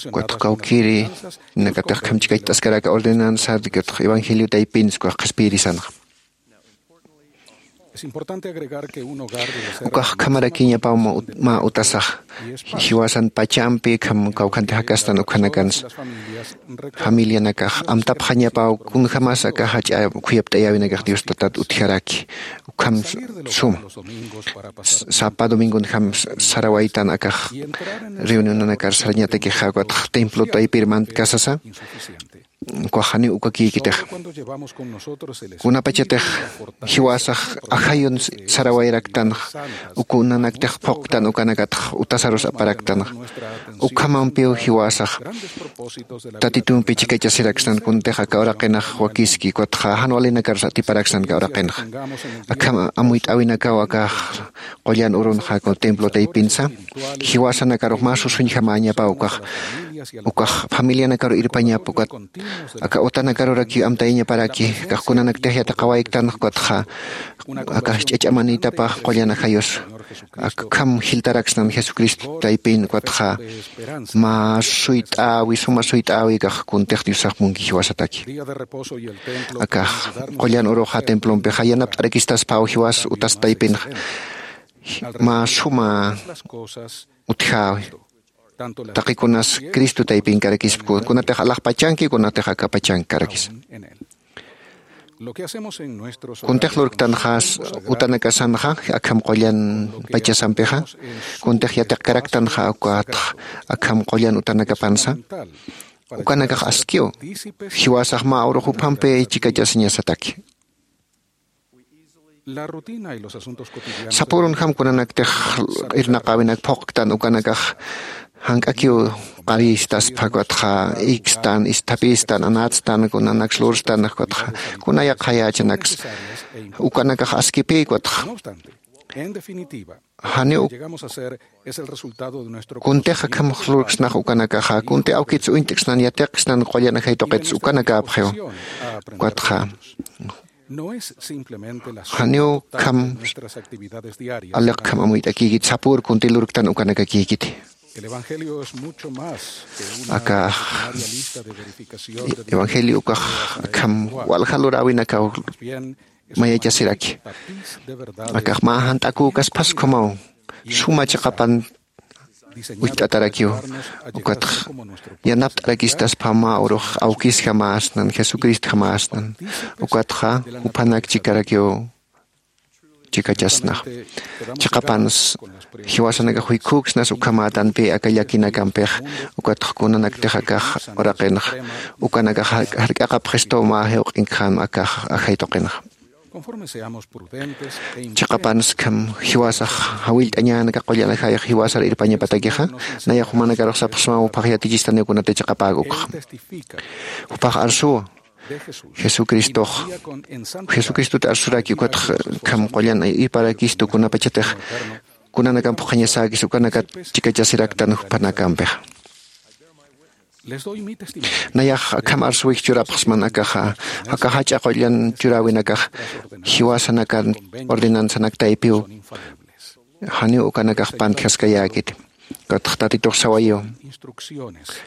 ukatxa kawkïri nakatix akham chikacht'askaraka ordenanzat ukatxa evangelio taypinsa ukax qhispiyirisanxa. Ukax ukhamarakiñapaw mä utasax jiwasan pachampi ukham kawkhanti jakastan ukhanakansa familianakax amtapxañapaw kunjämas aka jach'a khuyapt'ayäwinakax dios tatat utjaraki. Ukham suma sapa domingonjam sarawaytan akax reunionanakar sarañatakixa ukatxa templo taypir mantkasasa. Ukax janiw ukakïkitixa kunapachatix jiwasax ajayun sarawayaraktanxa uka unanaktix phuqktan ukanakatxa utasarus aparaktanxa. Ukhamampiw jiwasax tatitumpi chikachasiraksnan kuntix aka uraqinax wakiski ukatxa jan walinakarus atiparaksnan aka uraqinaxa. Akham amuyt'äwinakaw akax qullan urunxa templo taypinsa jiwasanakarux mä susuñjamäñapaw ukax ukax familianakarux irpañapa ukat aka utanakarurakiw amtayañaparaki. Akax kunanaktix yatiqawayktanxa ukatxa akax ch'ach'amanïtapax qullan ajayus akham jiltaraksnan jesucristo taypin ukatxa mä suyt'äwi suma suyt'äwi akax kuntix diosax munki jiwasataki. Akax qullan uruxa templompixa yanapt'arakistaspaw jiwas utas taypinxa mä suma utjäwi taqikunas cristo taypinkarakispa kunatix alaxpachanki kunatix akapachankkarakisa. Kuntix lurktanxas utanakasanxa akham qullan pachasampixa kuntix yatiqkaraktanxa ukatx akham qullan utanakapansa ukanakax askiw jiwasax mä urux juphampi chikachasiñasataki. Sapürunjam kunanaktix irnaqäwinak phuqktan ukanakax jank'akiw qarïstaspa ukatxa ikstan isthapistan anatstan kunanaks lurstan ukatxa kuna yaqhayächanaksa ukanakax askipï ukatxa En definitiva, janiw llegamos a ser es el resultado de nuestro kuntix conocimiento akham lurksnax ukanakaxa, kunti awkits uñt'ksnan, yatiqsnan, qullan ajay tuqits ukanakäpxiw. Ukatxa, no es simplemente la janiw suma total kham de nuestras actividades diarias. Aliqkham amuyt'akïkit, sapür kunti lurktan ukanakakïkiti. El evangelio es mucho más que una aka extraordinaria lista de verificación de evangelio ukax nuevas akham igual. Walja luräwinakaw Más bien, es una mayachasiraki. Tapiz de verdades. Akax mä jant'akükaspaskumaw suma chiqapan diseñado para ayudarnos a llegar a ser como nuestro Padre celestial. Ukat yanapt'arakistaspa mä urux awkisjamäsnan, Jesucristjamäsnan. Ukatxa juphanak chikarakiw chikachasnax. Chiqapans jiwasanakax juykhüksnas ukhamätanpï aka llakinakampix, ukatxa kunanaktix akax uraqinx ukanakax jar-, jark'aqapxistu mä jiwq'inkxam akax ajay tuqinxa. Chiqapanskham jiwasax jawillt'añän aka qullan ajayx jiwasar irpañapatakixa, nayax jumanakarux sapxsmaw phax yatichistaniw kunatï chiqapäk ukxa. Jupax arsuwa Jesucristox, Jesucristut arsuraki ukatx kham qullan irparakistu kunapachatix kunanakamp phuqhañasäkis ukanakat chikachasiraktan juphanakampix. Nayax akham arsuwix churapxsman akaxa, aka jach'a qullan churäwinakax jiwasanakan ordenanzanak taypiw janiw ukanakax pantjaskayäkiti. Ukatx Tatitux sawayiw,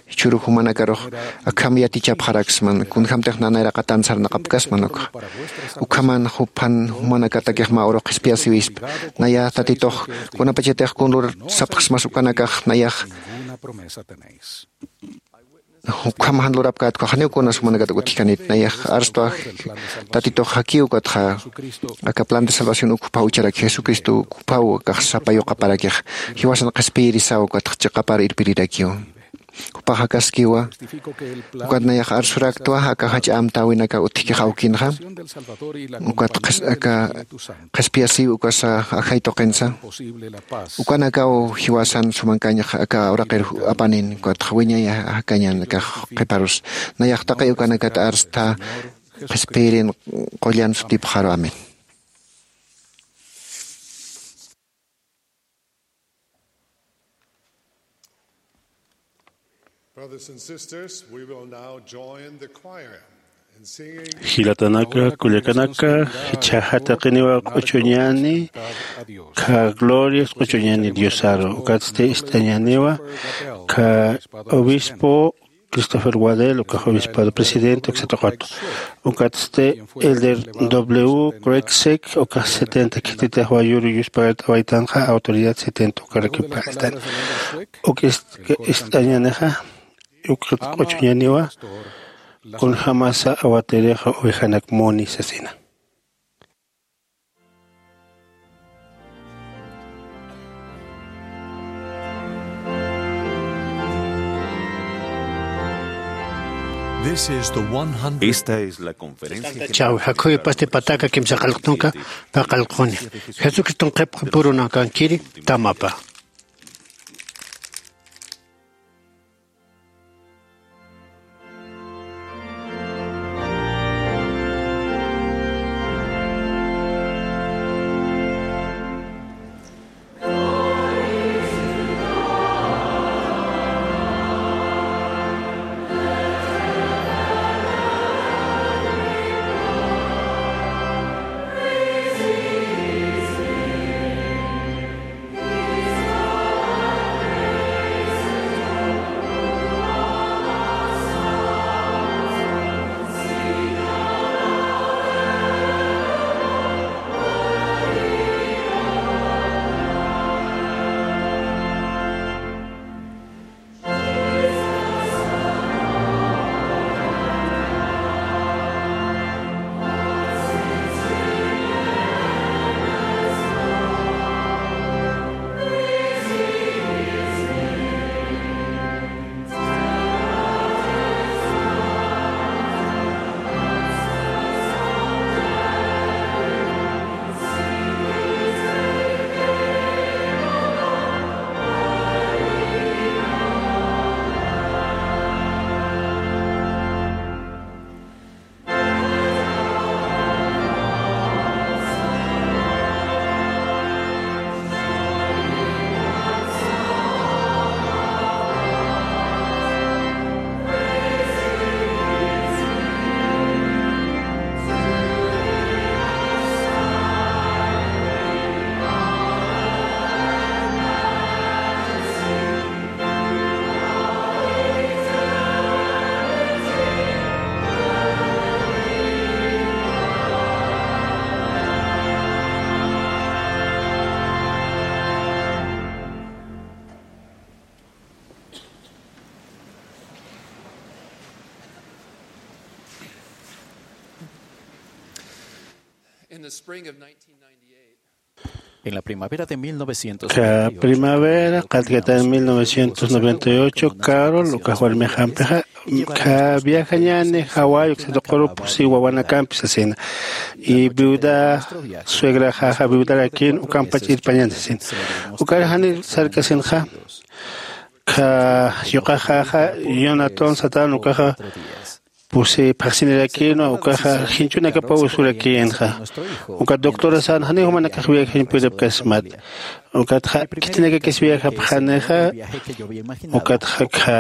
jichhüru jumanakarux akham yatichapxaraksman, kunjämtix nanayraqatan sarnaqapkasman ukxa. Ukhaman juphan jumanakatakix mä urux qhispiyasiwispa. Naya Tatitux kunapachatix kun lur sapxsmas ukanakax nayax ukham jan lurapkät ukax janiw kunas jumanakat utjkanit, nayax arstwa Tatitux jakiw ukatxa aka plan de salvación uk juphaw ucharak, Jesucristo uk juphaw akax sapa yuqaparakix, jiwasan qhispiyirisaw ukatx chiqapar irpirirakiw. Jupax akaskiwa, ukat nayax arsuraktwa aka jach'a amtäwinaka utjkix awkinxa, ukat qhis-, aka qhispiyasiw ukasa ajay tuqinsa, ukanakaw jiwasan sumankañx aka uraqir apanin, ukatx wiñay jakañan akax qhiparus. Nayax taqi ukanakat arstha qhispiyirin qullan sutipxaru. Amén. Brothers and sisters, we will now join the choir in singing. Jilatanaka, kullakanaka, jichha jataqiniwa q'uchuñani, kha glorias q'uchuñani Diosaru, ukatsti ist'añaniwa, kha obispo Christopher Waddell, ukax obispado presidente, uksa tuqut. Ukatsti Elder W. Craig Sick, ukax setenta khititix wayuru yuspagart'awaytanxa, autoridad setenta ukaraki palistan. Uk ist-, ist'añanixa, uk q'uchuñaniwa, kunjämasa awatirixa ovejanak muni sasina. This is the one hundred. Esta es la conferencia general. Chawja khuypasti pataka kimsa qallqtunka paqallquni. Jesucriston qhipxi purunakankiri tamapa. In the spring of nineteen ninety-eight, en la primavera de mil novecientos noventa y ocho, ka primavera qatkitan mil novecientos noventa y ocho, Carol ukax warmixampixa ka viajañäni Hawái uksa tuquru pusi wawanakampi sasina. Y viuda suegraxaxa viudarakin ukampach irpañan sasina. Ukar jani sarkasinxa ka yuqaxaxa Jonathan satan ukaxa pusi phaxsinirakinwa ukaxa jinchunakapaw usurakïnxa. Ukat doctora san janiw jumanakax viajañ puripkasmat. Ukatxa khitinakakis viajapxanixa. Ukatxa kha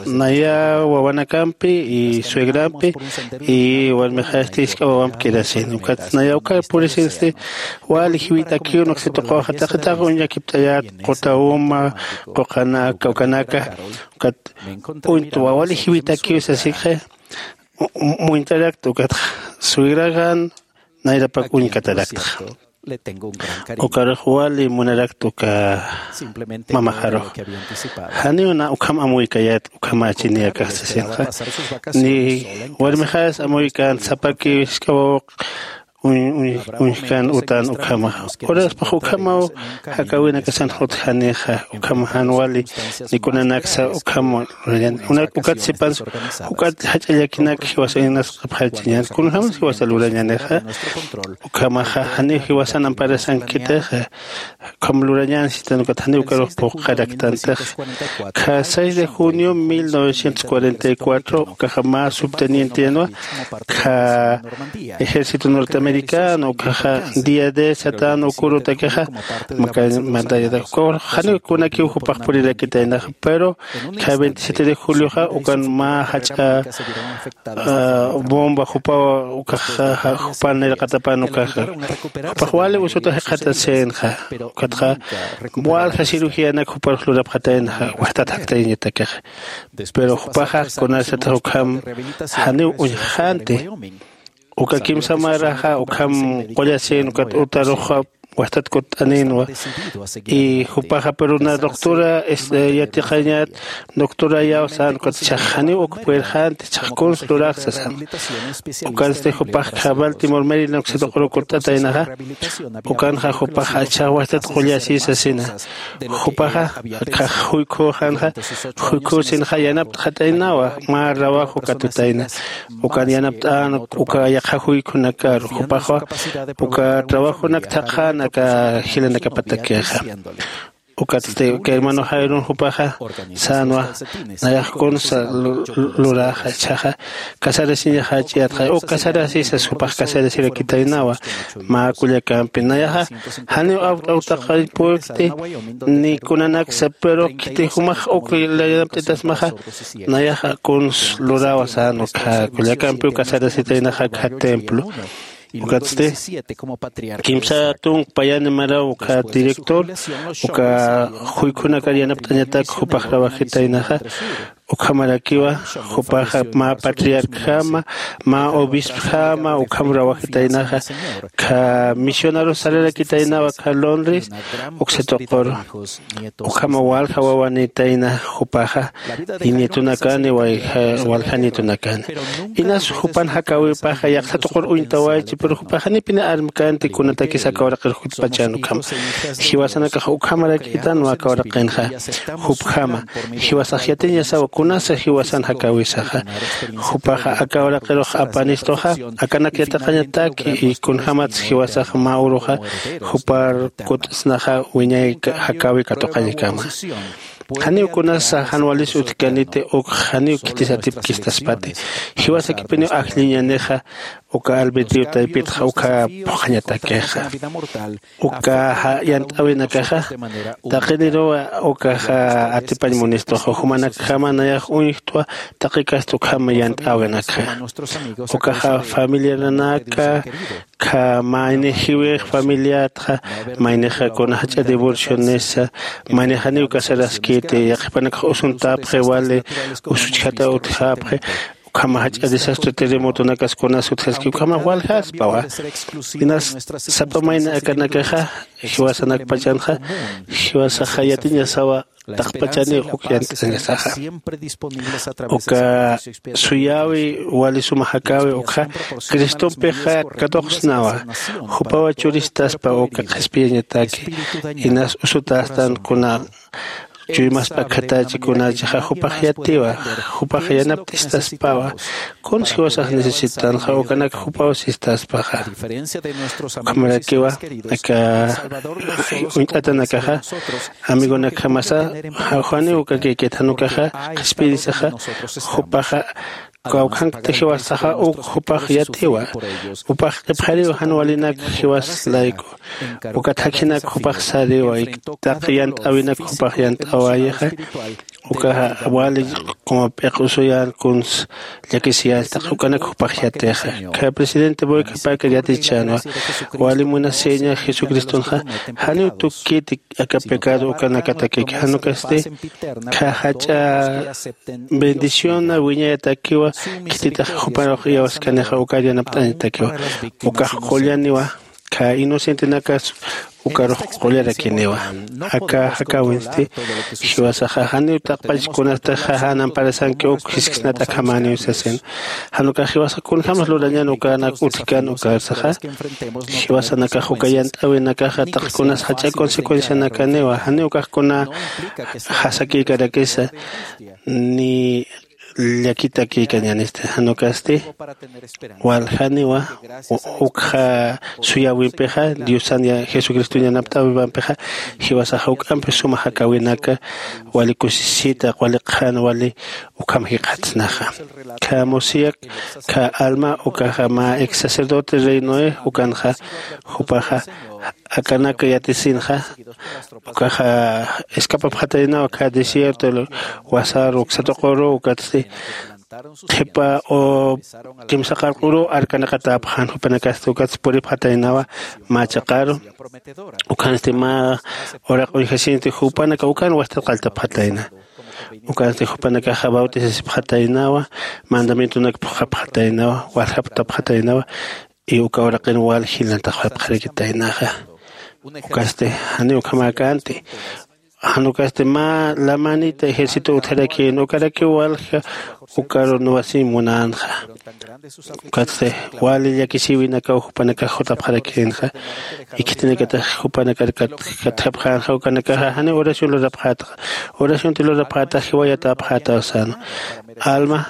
naya wawanakampi y suegrampi y warmixasti jisk'a wawamp kirasin. Ukat naya uka purisinsti wali jiwit'akiw nuksituqawaxa taqi taqi uñakipt'ayät quta uma quqanaka ukanaka. Ukat uñtwa wali jiwitakiw sasikxa. Muñt'arakta ukatxa suegraxan nayrapak uñkatarakta. Ukarux wali munarakta uka mamaxarux. Janiw na ukham amuykäyät ukham achiniyakax sasinxa. Ni warmixas amuykän sapakiw jisk'a wawaq uñjkän utan ukhamaxa. Uraspax ukhamaw jakäwinakasan jutjanixa ukham jan wali ni kunanaksa ukham lurañän. Ukat sipansa juk'at jach'a llakinak jiwasa inasqapxachiñän kunjämas jiwasa lurañänixa. Ukhamaxa janiw jiwasan amparasankitixa. Ukham lurañän sitan ukat janiw ukarux puqaraktantixa. Kha seis de junio mil novecientos cuarenta y cuatro ukaxa mä subtenientenwa kha ejército norteamericano ukaxa día de satan ukürutakixa. Maka mandayatak ukax janiw kunakiw jupax purirakitaynaxa pero kha veintisiete de julioxa ukan mä jach'a bomba jupaw ukaxa jupan nayraqatapan ukaxa jupax wali usuta jikxatasinxa. Ukatxa walja cirugíanak juparux lurapxataynaxa wajtat jaktayñatakixa. Pero jupaxa kunasatax ukham janiw uñjxänti. Uka kimsa maraxa ukham qullasin ukat utaruxa wajtat kutt'aninwa. Y jupaxa pero na doctora yatiqañät doctorayaw sän ukat chax janiw uk puyrxänti chax kuns lurax sasan. Ukansti jupax kha baltimore maryland uksituquru kutt'ataynaxa. Ukanxa jupaxa chax wajtat qullasi sasina. Jupaxa khax juykhuxanxa juykhusinxa yanapt'xataynawa mä rawajo katutayna. Ukan yanapt'än uka yaqha juykhunakaru jupaxwa uka trabajonak thaqhan aka jilanakapatakixa. Ukatsti uka hermano jairun jupaxa sänwa nayax kunsa luraxa ichhaxa casarasiñaxa ch'iyatxa uk casarasisas jupax casarasirakitaynawa. Mä kullakampi nayaxa janiw awt'awtaqañ purkti ni kunanaksa pero khiti jumax uk yanapt'itasmaxa. Nayaxa kuns lurawa sän uka kullakampiw casarasitaynaxa kha templo. Ukatsti kimsa tunk payani maraw uka director uka juykhunakar yanapt'añatak jupax rawajitaynaxa. Ukhamarakiwa jupaxa mä patriarcjama mä obispjama ukham rawajitaynaxa. Kha misionarus sararakitaynawa kha londres uksituquru. Ukhama walja wawanitayna jupaxa y nietunakani walja nietunakani. Inas jupan jakäwipaxa yaqsa tuqur uñtawaychi pero jupaxa janipini armkänti kunatakis aka uraqir jutpachan ukhama. Jiwasanakax ukhamarakitanwa aka uraqinxa jupjama. Jiwasax yatiñasawa kunasa jiwasan jakäwisaxa. Jupaxa aka uraqirux apanistuxa akanak yatiqañataki y kunjämatsa jiwasax mä uruxa jupar kutt'snaxa wiñay jakäwi katuqañkama. Janiw kunasa jan walis utjkaniti uk janiw khitis atipkistaspati. Jiwasakipiniw ajlliñanixa uka albedrio taypitxa uka phuqhañatakixa. Uka yant'äwinakaxa taqiniruwa ukaxa atipañ munistuxa jumanakjama nayax uñjtwa. Taqikast ukhama yant'äwinakxa ukaxa familiaranaka kha mayni jiwix familiatxa maynixa kuna jach'a divorcionesa mayni janiw casaraskiti yaqhipanakax usuntäpxi wali usuchjata utjäpxi. Ukhama jach'a desastre terremotonakas kunas utjaski ukhama waljaspawa. Inas sapa mayni akanakaxa jiwasanakpachanxa jiwasaxa yatiñasawa. Taqpachani uk yant'añasaxa uka suyäwi wali suma jakäwi ukxa cristompixa katuqsnawa. Jupawa churistaspa uka qhispiyañataki inas usutästan kuna chuymaspa khathachi kunachixa jupax yatiwa. Jupax yanapt'istaspawa. Kuns jiwasax necesitanxa ukanak jupaw sistaspaxa. Ukhamarakiwa aka uñt'atanakaxa amigonakjamasa janiw ukakïkit jan ukaxa qhispiyirisaxa jupaxa kawkhankta jiwasaxa uk jupax yatiwa. Jupax q'ipxariw jan walinak jiwas layku ukat jakhinak jupax sariwa. Taq yant'äwinak jupax yant'äwayixa ukaxa wali como p'iq usuyän kuns llakisiyästa ukanak jupax yatixa. Kha presidente boyka parker yatichänwa wali munasiña jesucristonxa janiw tukkiti aka pecado ukanakatakiki jan ukasti kha jach'a bendiciona wiñayatakiwa. Khititax juparux iyawaskanixa ukar yanapt'añatakiwa ukax qullaniwa. Kha inocentenakas ukarux qullarakiniwa. Aka jakäwinsti jiwasaxa janiw taqpach kunasta jajan amparasanki uk jisksnat akhamäniw sasin. Jan ukax jiwasax kunjämas lurañän ukanak utjkan ukarsaxa jiwasanakax uka yant'äwinakaxa taqkunas jach'a consecuencianakaniwa janiw ukax kuna jasakïkarakisa ni llakitakïkañänisti jan ukasti waljaniwa. Ukxa suyäwimpixa diosan jesucriston yanapt'äwimampixa jiwasax juk'ampi suma jakäwinaka wali kusisita wali qhan wali ukham jikxatsnaxa. Kha musiyak kha alma ukaxa mä ex sacerdote rey noé ukanxa jupaxa akanak yatisinxa ukaxa escapapxataynawa kha desierto wasar uksatuquru ukatsti qhipa o kimsa qarquru arkanaqatäpxän jupanakasti ukatsti puripxataynawa mä chaqaru. Ukhansti mä uraq uñjasinti jupanaka ukan wastat qalltapxatayna. Ukhansti jupanakaxa bautisasipxataynawa mandamientonak phuqhapxataynawa waljaptapxataynawa. Y uka uraqin wal jilnantaxwapxarakitaynaxa ukasti janiw ukhamäkänti. Jan ukasti mä lamanita ejército utjarakïn ukarakiw walja ukaru nuwasiñ munänxa. Ukatsti wali llakisïwinakaw jupanakax jutapxarakïnxa. Ikhitinakatax jupanakar katjapxänxa ukanakaxa janiw oración lurapxätaxa. Oracionti lurapxätax jiwayatäpxätaw sänwa alma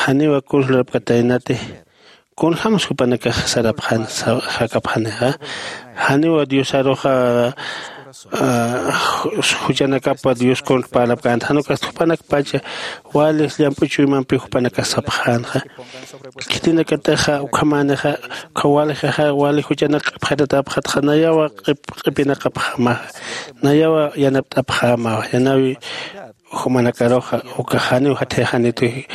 janiwa kuns lurapkataynati. Kunjämas jupanakax sarapxän jakapxanixa janiwa diosaruxa juchanakapa dios contra parlapkänti jan ukasti jupanakpacha wali llamp'u chuymampi jupanakax sapxänxa. Khitinakataxa ukhamänixa ukha walijaxa wali juchanak q'ipxatatäpxatxa nayawa q'ipinaqapxämaxa. Nayawa yanapt'apxämawa yanawi jumanakaruxa ukax janiw jathayaxanitu.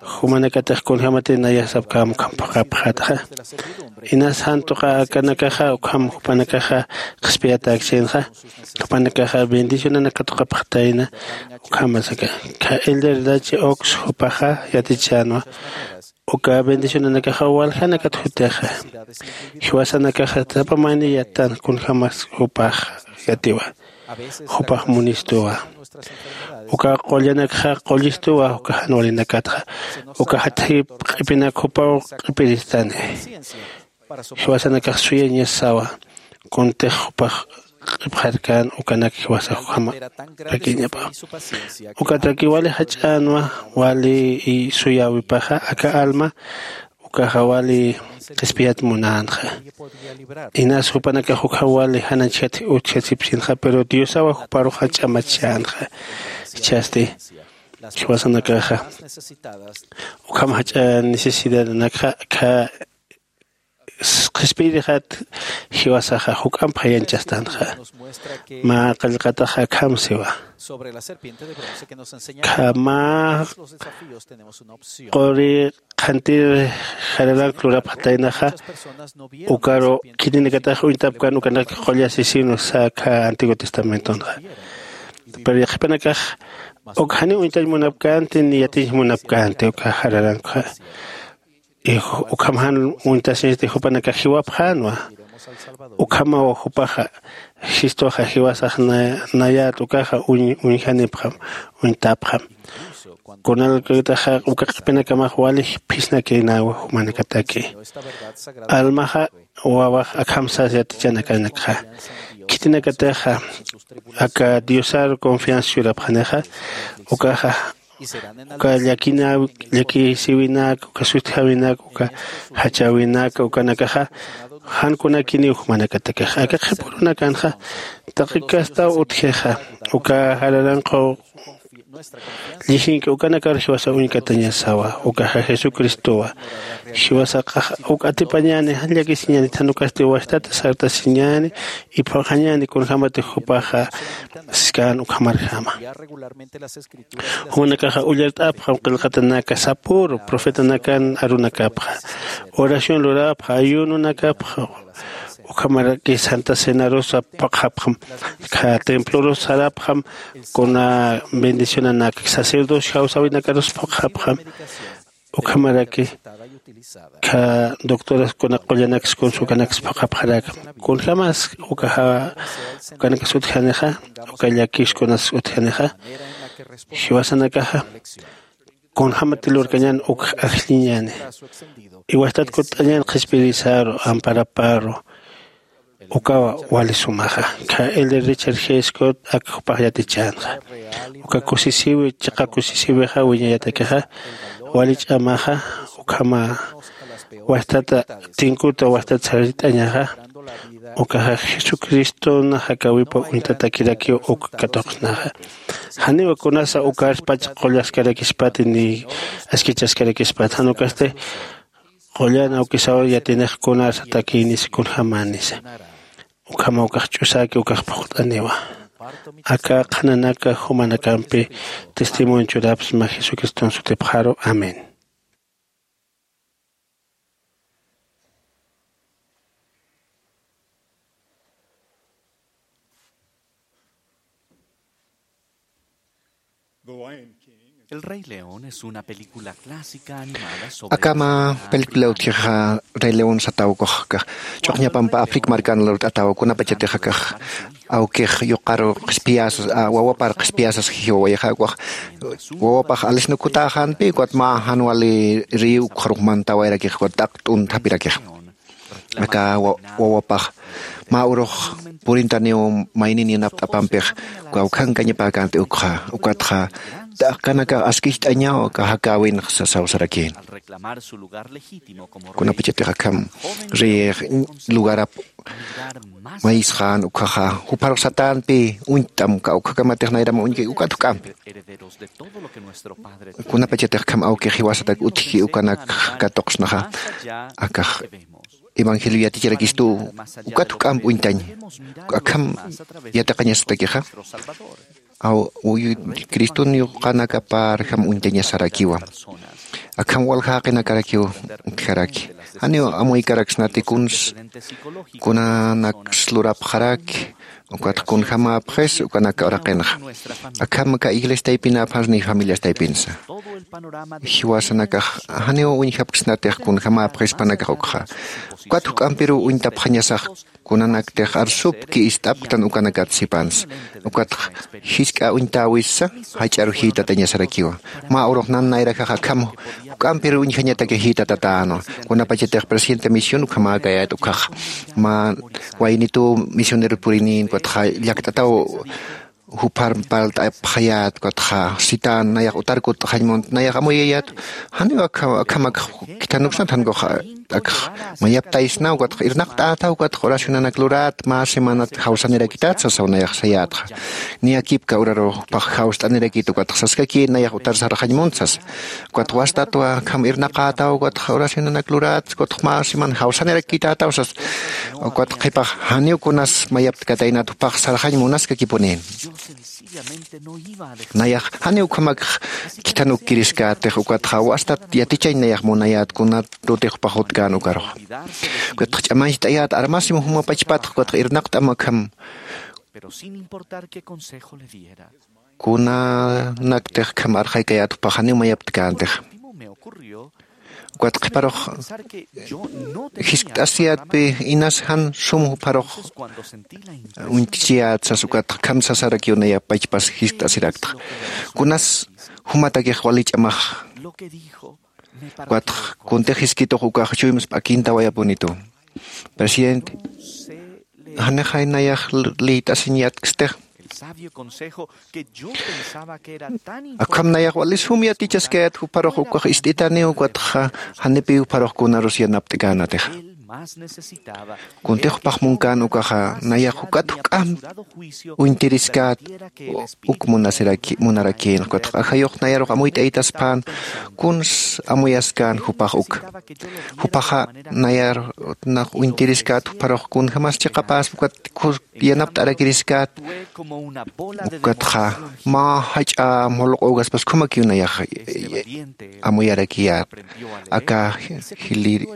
Jumanakatix kunjämati nayasapkäm ukham phuqhapxätxa. Inas jan tuqa akanakaxa ukham jupanakaxa qhispiyatäkchinxa. Jupanakaxa bendicionanak katuqapxatayna. Ukhamasaka kha elder dachi ox jupaxa yatichänwa uka bendicionanakaxa waljanakat jutixa. Jiwasanakaxa sapa mayni yatan kunjämas jupax yatiwa. Jupax munistuwa. Uka qullanakxa qullistuwa uka jan walinakatxa uka jatjayip q'ipinak jupaw q'ipiristani. Jiwasanakax suyañasawa kuntix jupax q'ipxarkän ukanak jiwasax ukhamarakïñapa. Ukataki wali jach'änwa wali suyäwipaxa aka alma ukaxa wali qhispiyat munänxa. Inas jupanakax ukham wali jananchjat utjasipsinxa pero diosawa juparux jach'amachänxa. Jichhasti jiwasanakaxa ukham jach'a necesidadanakxa kha qhispiyirixat jiwasaxa juk'amp jayanchastanxa. Mä qallqataxa akham siwa kha mä quri qhantir jararank lurapxataynaxa. Ukaru khitinakatax uñtapkan ukanak qullasisinwa sä kha antiguo testamentonxa. Pero yaqhipanakax uk janiw uñtañ munapkänti ni yatiñ munapkänti uka jararankxa. Ukham jan uñtasiñsti jupanakax jiwapxänwa. Ukhamaw jupaxa jistuxa jiwasax nayät ukaxa uñjanipxam, uñtapxam. Kunalkataxa uka q'ipinakamax wali phisnakïnäwa jumanakataki. Almaxa wawax akham sas yatichanakanakxa khitinakatixa aka diosar confianza churapxanixa. Ukaxa uka llakisiwinak uka sutjäwinak uka jachäwinak ukanakaxa jan kunakiniw jumanakatakixa aka qhipürunakanxa taqi kastaw utjixa uka jararanqaw llijink'i ukanakar jiwasa uñkatañasawa. Ukaxa jesucristowa jiwasaqa uk atipañäni jan llakisiñäni thanukasti wajtata sartasiñäni iphuxañäni kunjämatix jupaxa siskan ukhamarjama. Jumanakaxa ullart'apxam qillqatanaka sapüru profetanakan arunakapxa oración lurapxa ayununakapxa. Ukhamaraki santa cenarusa phuqxapxam. Kha templorus sarapxam kuna bendicionanak sacerdocio jawsäwinakarus phuqxapxam. Ukhamaraki kha doctoras kuna qullanaksa kunsa ukanaksa phuqhapxarakam kunjämas ukaxa ukanakas utjanixa uka llakis kunas utjanixa. Jiwasanakaxa kunjämati lurkañän uk ajlliñäni iwastat kutt'añän qhispirisaru amparaparu. Ukawa wali sumaxa kha elder richard g scott ak jupax yatichänxa. Uka kusisiwi chiqa kusisiwixa wiñayatakixa wali ch'amaxa ukhama wajtata tinkuta wajtat sarit'añaxa. Ukaxa jesucristona jakawipa uñtatakirakiw uk katuqsnaxa. Janiw kunasa ukarspach qullaskarakispati ni askichaskarakispati jan ukasti qullan awkisaw yatinix kunasa takïnisa kunjämänisa. Ukhama ukax ch'usäki ukax phuqt'aniwa. Aka qhananaka jumanakampi testimonio churapsma jesucriston sutipxaru. Amén. El Rey León es una película clásica animada sobre akama película utjixa rey león satawkuxka. Ch'uqñapampa africa marcana lurt'atawa kunapachatix akax awkix yuqaru qhispiyasas wawapar qhispiyasas jiwawayaxa ukax wawapax alisnukutäxanpi ukat mä jan wali riyu ukxarux mantawayrakix ukat t'aq t'unthapirakix. Aka wawapax mä urux purintaniw maynin yanapt'apampix kawkhankañapäkänti ukxa ukatxa t'aqkanakax askicht'añaw aka jakäwinxa sasaw sarakïn. Kunapachatix akham riyix lugarap mayisxän ukxaxa jupharux satänpi uñt'am kawkhakamatix nayram uñki ukat juk'ampi. Kunapachatix akham awkix jiwasatak utjki ukanak katuqsnaxa akax evangelio yaticharakistu ukat juk'amp uñtañ akham yatiqañasatakixa. Aw uyu criston yuqanakapar jam uñtañasarakiwa. Akham waljaqinakarakiw utjaraki janiw amuykaraksnati kuns kunanaks lurapxaraki. Ukat kunjamapxis ukanaka uraqinxa akham ka iglesiataypinapxans ni familiastaypinsa. Jiwasanakax janiw uñjapksnatix kunjamapxispanakax ukxa ukat juk'ampiruw uñtapxañasax. Kunanaktix arsupki ist'apktan ukanakat sipans ukatx jisk'a uñtäwissa jach'aru jïtatañasarakiwa. Mä urux nan nayrajax akham juk'ampir uñjañataki jïtatatänwa. Kunapachatix presidente misión ukhamäkayät ukhax mä waynituw misioneru purinïn ukatxa llakt'ataw jupar parlt'apxayät ukatxa sitän nayax utar kutt'xañ munt nayax amuyayät. Janiw akhamak khithanuksnat jankux akx mayaptaysnaw ukatx irnaqt'ätaw ukatx oracionanak lurat mä semanat jawsanirakitat sasaw nayax sayätxa. Niyakipka uraru jupax jawst'anirakit ukatx saskakïn nayax utar sarxañ munt sasa. Ukatx wastatwa akham irnaqätaw ukatx oracionanak lurat ukatx mä seman jawsanirakitätaw sasa. Ukatx qhipax janiw kunas mayaptkataynat jupax sarxañ munaskakipunïn. Nayax janiw ukhamakx khithanukkiriskatix ukatxa wastat yatichañ nayax munayät kunatutix jupax jutkän ukarux. Ukatx ch'amancht'ayät armasim jumapachpatx ukatx irnaqt'am akham Pero sin importar qué consejo le diera, kunanaktix kham arxaykayät jupax janiw mayaptkäntix. Ukat qhiparux jiskt'asiyätpi inas jan sum jupharux uñt'chiyät sas ukat kham sasarakiw nayapachpas jiskt'asiraktxa. Kunas jumatakix wali ch'amax. Ukat kuntix jiskitux ukax chuymas p'akintawayapunitu. Presidente, janixay nayax liyt'asiñ yatkstix. Akham nayax wali sum yatichaskayät jupharux ukax ist'itaniw ukatxa janipiw jupharux kunarus yanapt'känatixa. Kuntix jupax munkän ukaxa nayax ukat juk'amp uñtiriskät uk munarakïn ukatxa ajayux nayarux amuyt'aytaspän kuns amuyaskän jupax uk. Jupaxa nayar nax uñtiriskät jupharux kunjämas chiqapäspa ukat yanapt'arakiriskat. Ukatxa mä jach'a mulq'ugaspas khamakiw nayax amuyarakiyät aka jilïr.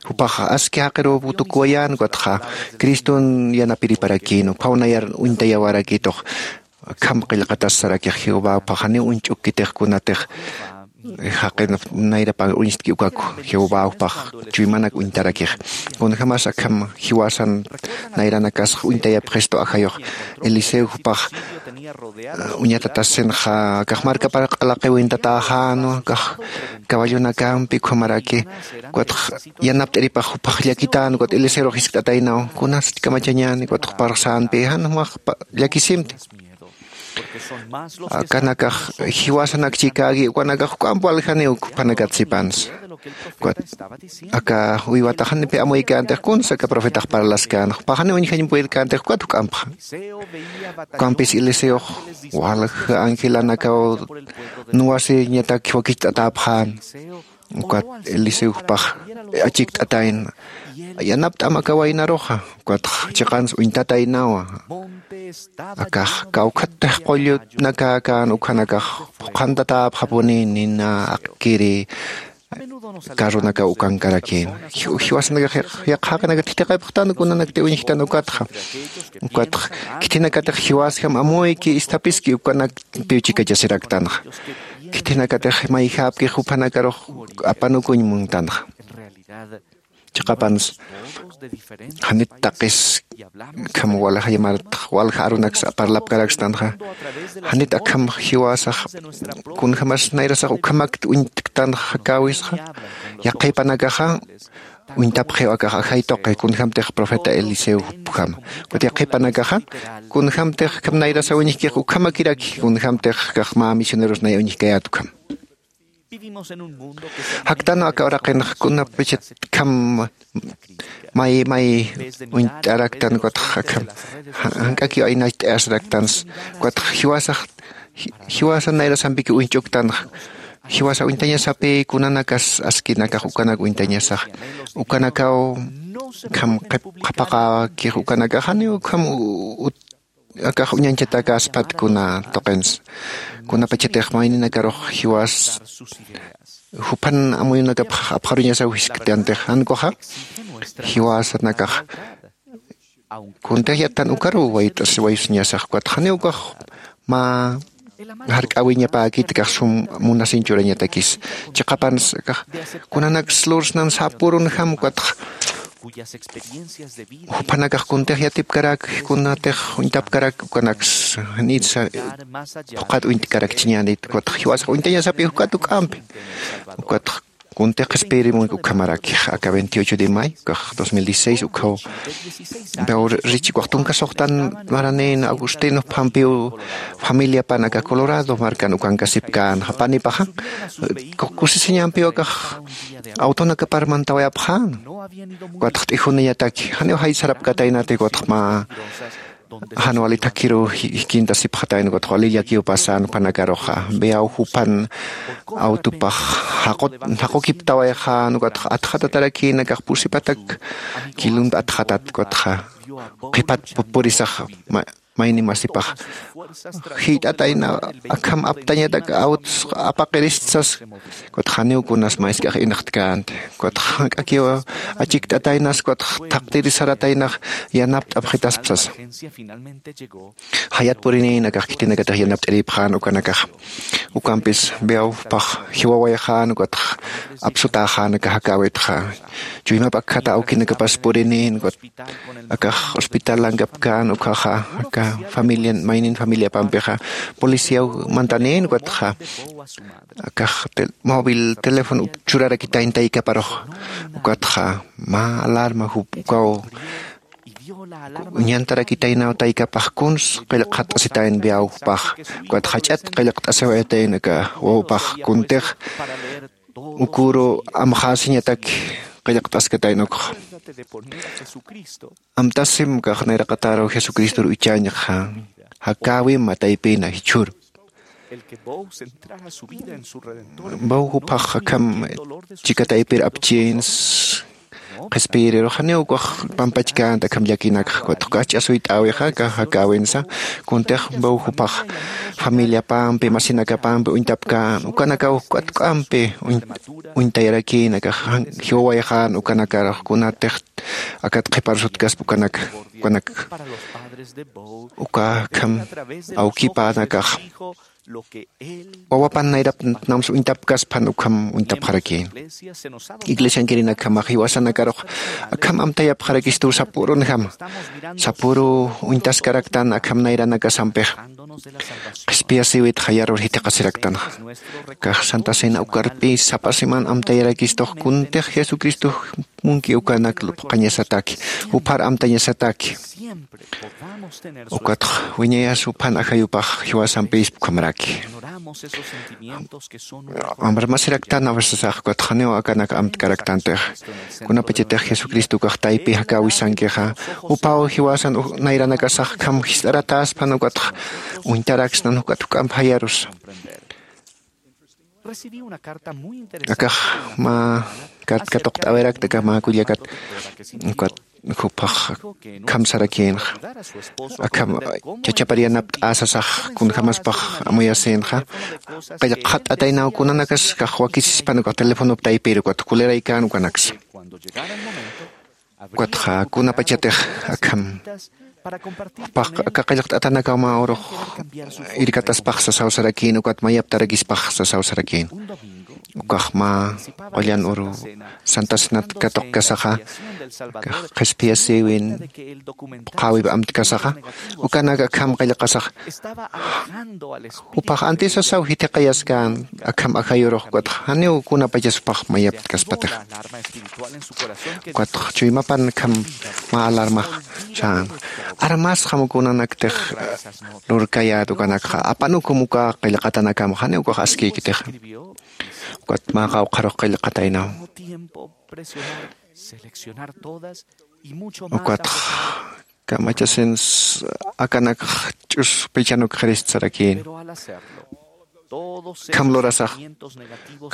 Jupax aski jaqiruw tukuwayän ukatxa criston yanapiriparakïn ukhaw nayar uñtayawarakïtux. Akham qillqatas sarakix jehová jupax janiw uñch'ukkitix kunatix jaqin nayrapan uñstki ukaku jehová jupax chuymanak uñtarakix. Kunjämas akham jiwasan nayranakasx uñtayapxistu ajayux eliseo jupax uñatatasinxa akax markapar q'alaqiwintatäxänwa akax caballonakampi ukhamaraki. Ukatx yanapt'iripax jupax llakitän ukat eliseorux jiskt'ataynaw kunasti kamachañäni ukatx parxsänpi jan jumax llakisimti. Akanakax jiwasanak chikäki ukanakax juk'amp waljaniw juphanakat sipansa. Aka uywataxanipi amuykänti kuns aka profetax parlaskän jupaxaniw uñjañ puyrkänti ukat juk'ampxa. Ukampis eliseox walja angelanakaw nuwasiñatak jiwakicht'atäpxän. Ukat eliseo jupax achikt'atayna yanapt'am aka waynaruxa. Ukatx chiqans uñtataynawa akax kawkhattix qullunakakän ukhanakax phuqhantatäpxapuni nina aqkiri. Carronakaw ukankarakïna jiwasanakax yaqha jaqinakat thithiqipxtan kunanakti uñjtan ukatxa. Ukatx khithinakatix jiwasjam amuyki isthapiski ukanakpiw chikachasiraktanxa. Khithinakatix mayjäpkix juphanakarux apanukuñ muntanxa. Chiqapansa janit taqis akham walja yamartx walja arunaksa parlapkarakstanxa. Janit akham jiwasax kunjämas nayrasax ukhamakti uñtktanxa jakäwisxa. Yaqhipanakaxa uñtapxiw akax ajay tuqi kunjämtix profeta eliseo jupjama. Ukat yaqhipanakaxa kunjämtix akham nayrasaw uñjkix ukhamakiraki kunjämtix akax mä misioneros nay uñjkayät ukham. Jaktanwa aka uraqinx kunapachat kham may may uñt'araktan ukatx akham jank'akiw aynacht'ayasiraktansa. Ukatx jiwasax jiwasa nayrasampikiw uñch'uktanxa. Jiwasa uñtañasapi kunanakas askinakax ukanak uñtañasax ukanakaw kham qhapaqäkix ukanakax janiw kham akax uñañchatakäspat kuna tuqinsa. Kunapachatix mayninakarux jiwas juphan amuyunakapx apxaruñasaw jisktantix jan ukaxa jiwasanakax kuntix yattan ukaruw wayt'as waysuñasax ukatx janiw ukax mä jark'äwiñapäkit akax sum munasiñ churañatakis. Chiqapansa akax kunanaks lursnan sapürunjam ukatx juphanakax kuntix yatipkarak kunatix uñtapkarak ukanaks janitsa phuqhat uñtkarakchiñänit ukatx jiwasax uñtañasapi ukat uk'ampi. Ukatx kuntix qhispiyirimunki ukhamaraki aka veintiocho de mayo ukax dos mil dieciséis ukhaw. Pero richi ukax tunka suxtan maranïn agustin phampiw familiapan aka colorado markan ukankasipkän japanipaxa kusisiñampiw akax awtunakapar mantawayapxän. Ukatx t'ijuniñataki janiw jay sarapkataynati ukatx mä jan wali thakhiruw jikintasipxatayna ukatx wali llakiw pasän jupanakaruxa veaw jupan awtupax jaqukiptawayxän ukatx atxatatarakïn akax pusipatak kilumpi atxatat ukatxa qhipat purisax. mayni masipax jiyt'atayna akham aptañatak awts apaqiristsas. Kutxa janiw kunas maysk'ax inxtkänti. Kutxa jank'akiw achikt'ataynas kutxa thaqtirisarataynax yanapt'apxitaspsasa. Jayat purinïn akax khitinakatix yanapt'iripxän ukanakax ukampis beawpax jiwawayxän ukatx apsutäxän aka jakäwitxa. Chuymap akkhata awkinakapas purinïn ukat akax hospitalankapkän ukhaxa aka familian maynin familiapampixa policiaw mantanïn ukatxa akax móvil teléfono churarakitayn taykaparux. Ukatxa mä alarma jup ukaw uñantarakitaynaw taykapax kuns qillqxat'asitayn biawpax. Ukatxa jach'at qillqt'asiwayatayn aka wawpax kuntix uküru amxäsiñatak qillqt'askatayn ukxa. Amtasim kax nayraqataru jesucristor uchañxa jakäwima taypina jichhüru. Baw juphax akham chika taypir apchïns qhispiyiriru janiw ukax pampachkänti akham llakinakxa. Kutx ukax ch'asuyt'äwixa kax jakäwinsa kuntix baw juphax familiapampi masinakapampi uñtapkän ukanakaw k'atk'ampi uñtayarakïn akax jiwawayxän ukanakarux kunatix akat qhiparsutkaspa ukanak ukanak uka akham awkipanakax wawapan nayrapnamsa uñtapkaspan ukham uñtapxarakïn. Iglesiankirinakjamax jiwasanakarux akham amtayapxarakistu sapürunjama sapüru uñtaskaraktan akham nayranakasampix qhispiyasïwitxa yarur jithiqasiraktanxa. Kax santa cena ukarpi sapa semana amtayarakistux kuntix jesucristox munki ukanak lup'qañasataki juphar amtañasataki. Ukatx wiñayas juphan ajayupax jiwasampïspa ukhamaraki. Amrmasiraktan awisasax ukatx janiw akanak amtkaraktantixa kunapachatix jesucristo ukax taypi jakäwisankixa jupaw jiwasan nayranakasax akham jist'aratäspan ukatx uñtaraksnan ukat juk'amp jayarusa. Akax mä kat katuqt'awirakta aka mä kullakat ukat juphax akham sarakïnxa akham chachapar yanapt'äsasax kunjämaspax amuyasïnxa. Qillqxat'ataynaw kunanakas kax wakisispan ukax telefonop taypir ukat kuliraykän ukanaksa. Ukatxa kunapachatix akham jupax aka qillqt'atanakaw mä urux irkataspax sasaw sarakïn ukat mayaptarakispax sasaw sarakïn. Ukax mä qullan uru santa cenat katuqkasaxa kax qhispiyasïwin phuqhäwip amtkasaxa ukanak akham qillqasaxa jupax antisasaw jithiqayaskän akham ajayurux ukatxa janiw kunapachas jupax mayaptkaspatixa. Ukatxa chuymapan akham mä alarmax sän armasxam kunanaktix lurkayät ukanakxa apanukum uka qillqatanakam janiw ukax askïkitixa. Ukat mä qawqharux qillqataynaw ukatxa kamachasins akanakx ch'us pichanukxirist sarakïn. Akham lurasax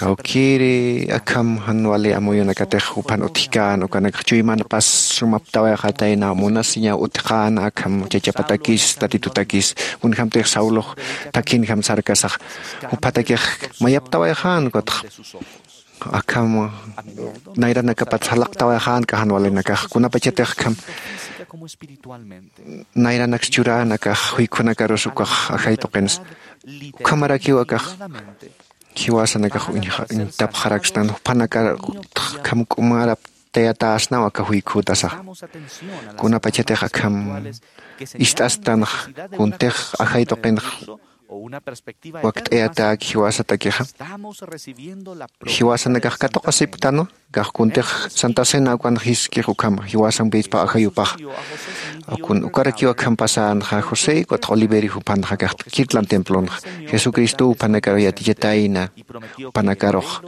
kawkïri akham jan wali amuyunakatix juphan utjkän ukanakx chuymanpas sumaptawayxatayna munasiñaw utjkän akham chachapatakis tatitutakis kunjämtix saulux thakinjam sarkasax juphatakix mayaptawayxän ukatxa akham nayranakapat salaqtawayxän k'ajan walinakax kunapachatix akham nayranaks churänakax juykhunakarus ukax ajay tuqinsa ukhamarakiw akax jiwasanakax uñtapxarakstan juphanakar akham k'umaraptayatäsnaw aka juykhütasax kunapachatix akham ist'astanx kuntix ajay tuqinx wakt'ayatäki jiwasatakixa jiwasanakax katuqasipktanwa kax kuntix santa cena ukan jiskix ukham jiwasampïspa ajayupax. Ukarakiw akham pasänxa josé ukatx oliverio juphanxa kax kirtlan templonxa jesucristow juphanakar yatichitayna jupanakarux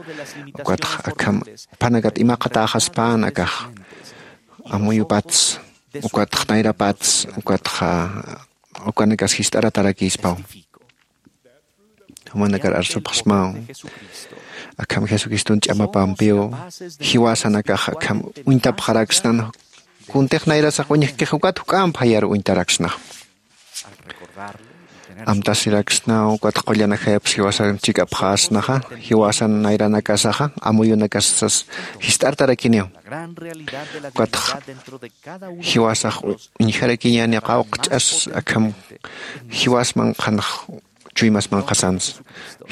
ukatx akham juphanakat imaqatäxaspän akax amuyupats ukatx nayrapats ukatx ukanakas jist'aratarakïspaw. Jumanakar arsupxsmaw akham jesucriston ch'amapampiw jiwasanakax akham uñtapxaraksnan kuntix nayrasax uñjkix ukat juk'amp jayar uñtaraksnax. Amtasiraksnaw ukat qullan ajayapsa jiwasan chik'apxasnaxa, jiwasan nayranakasaxa amuyunakasas jist'artarakiniw. Ukatxa jiwasax uñjarakiñäni qawqch'as akham jiwas manqhanax, chuymas manqhasansa.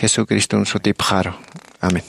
Jesucriston sutipxaru. Amén.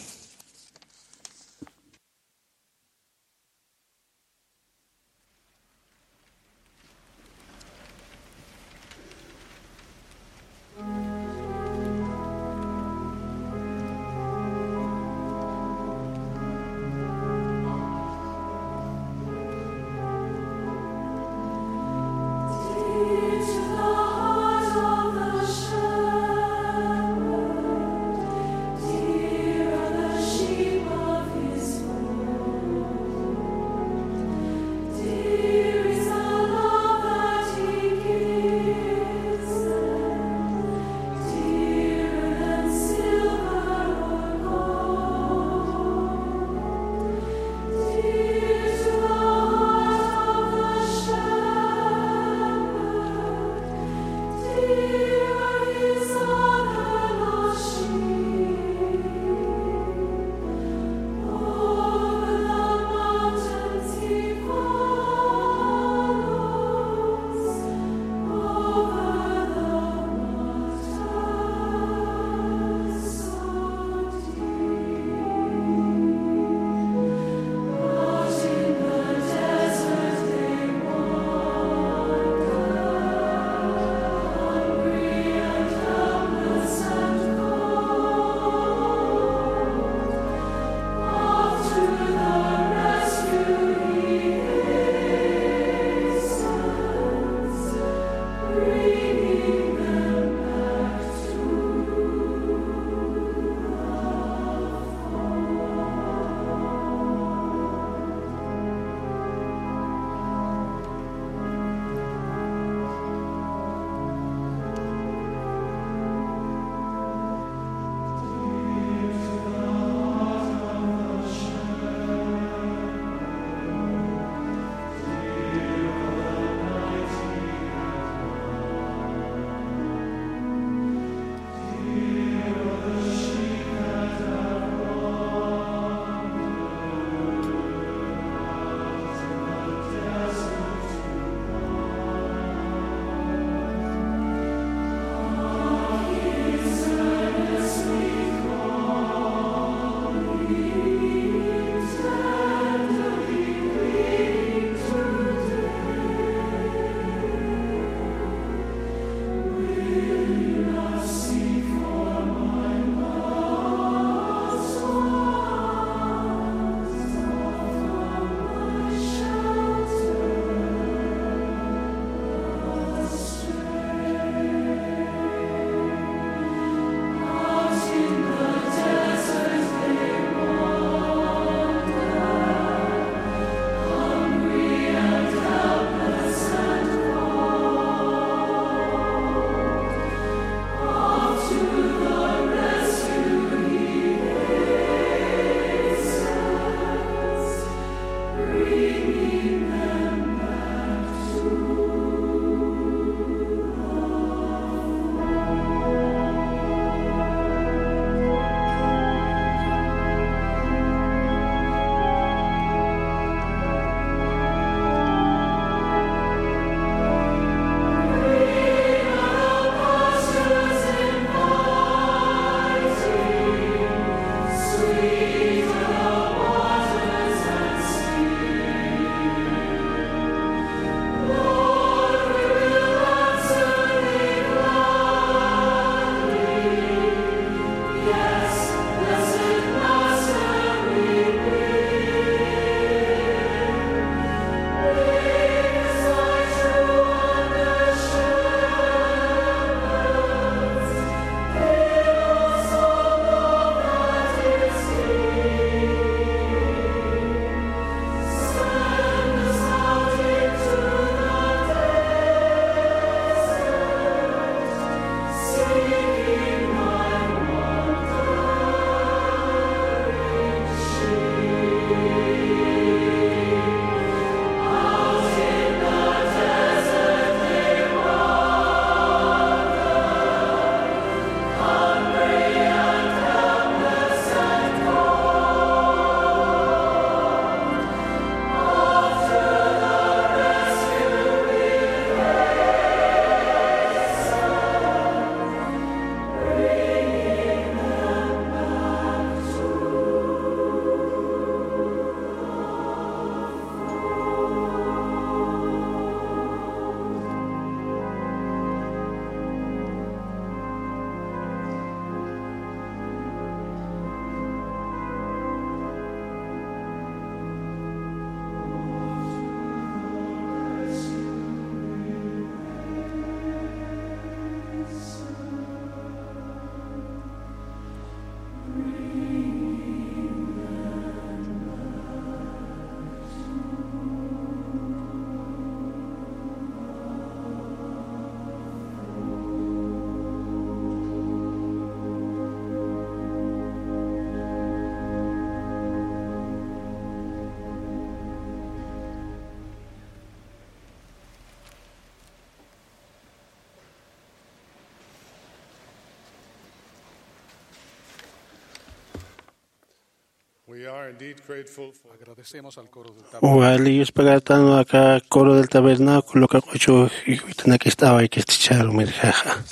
We are indeed grateful for Agradecemos al coro del tabernáculo. Wali yuspagartan aka coro del tabernáculo, aka q'uchu jiwitanak ist'awaykisticharu mirjaxa.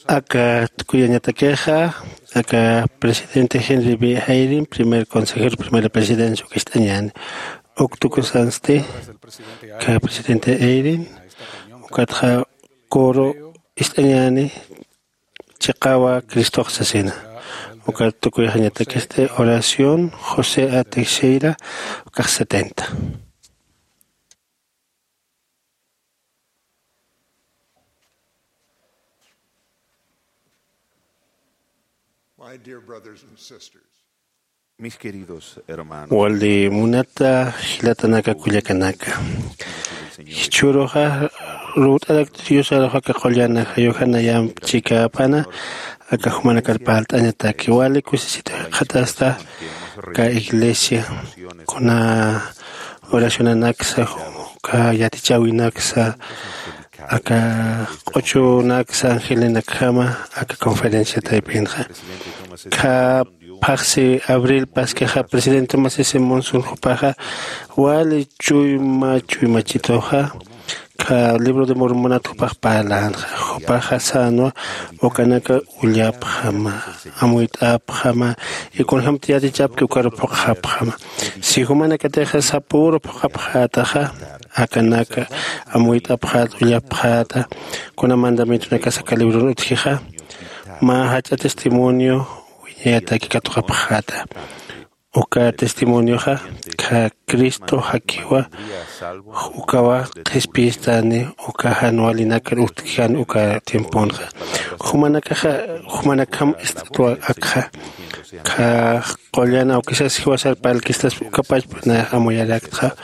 Aka tukuyañatakixa, aka presidente Henry B. Eyring, primer consejero, primera presidencia, uka ist'añäni. Uk tukusansti, aka presidente Eyring, ukatxa coro ist'añäni, chiqawa Cristox sasina. Ukat tukuyxañatakisti oración, José A. Teixeira, ukax setenta. My dear brothers and sisters, Mis queridos hermanos, wali munata jilatanaka kullakanaka, jichhüruxa ruwt'arakta Diosaruxa aka qullan ajayuxa nayamp chikäpana aka jumanakar parlt'añataki. Wali kusisitu jikxatasta aka iglesia, kuna oracionanaksa, uka yatichäwinaksa, aka q'uchunaksa angelenakjama aka conferencia taypinxa. Kha phaxsi abril paskixa presidente Thomas S. Monson jupaxa wali chuyma chuymachituxa kha libro de Mormonat jupax parlañanxa. Jupaxa sänwa ukanaka ullapxama, amuyt'apxama, y kunjamti yatichapki ukaru phuqxapxama. Si jumanakatixa sapüru phuqapxätaxa, akanaka amuyt'apxäta, ullapxäta, kuna mandamientonakasa aka libron utjixa, mä jach'a testimonio wiñayataki katuqapxäta. Uka testimonioxa kha Cristo jakiwa, ukawa qhispiyistani uka jan walinakar utjkän uka tiemponxa. Jumanakaxa, jumanakjam ist'atwa akxa, kha qullan awkisas jiwasar parlkistas ukapachpa nayax amuyarakta,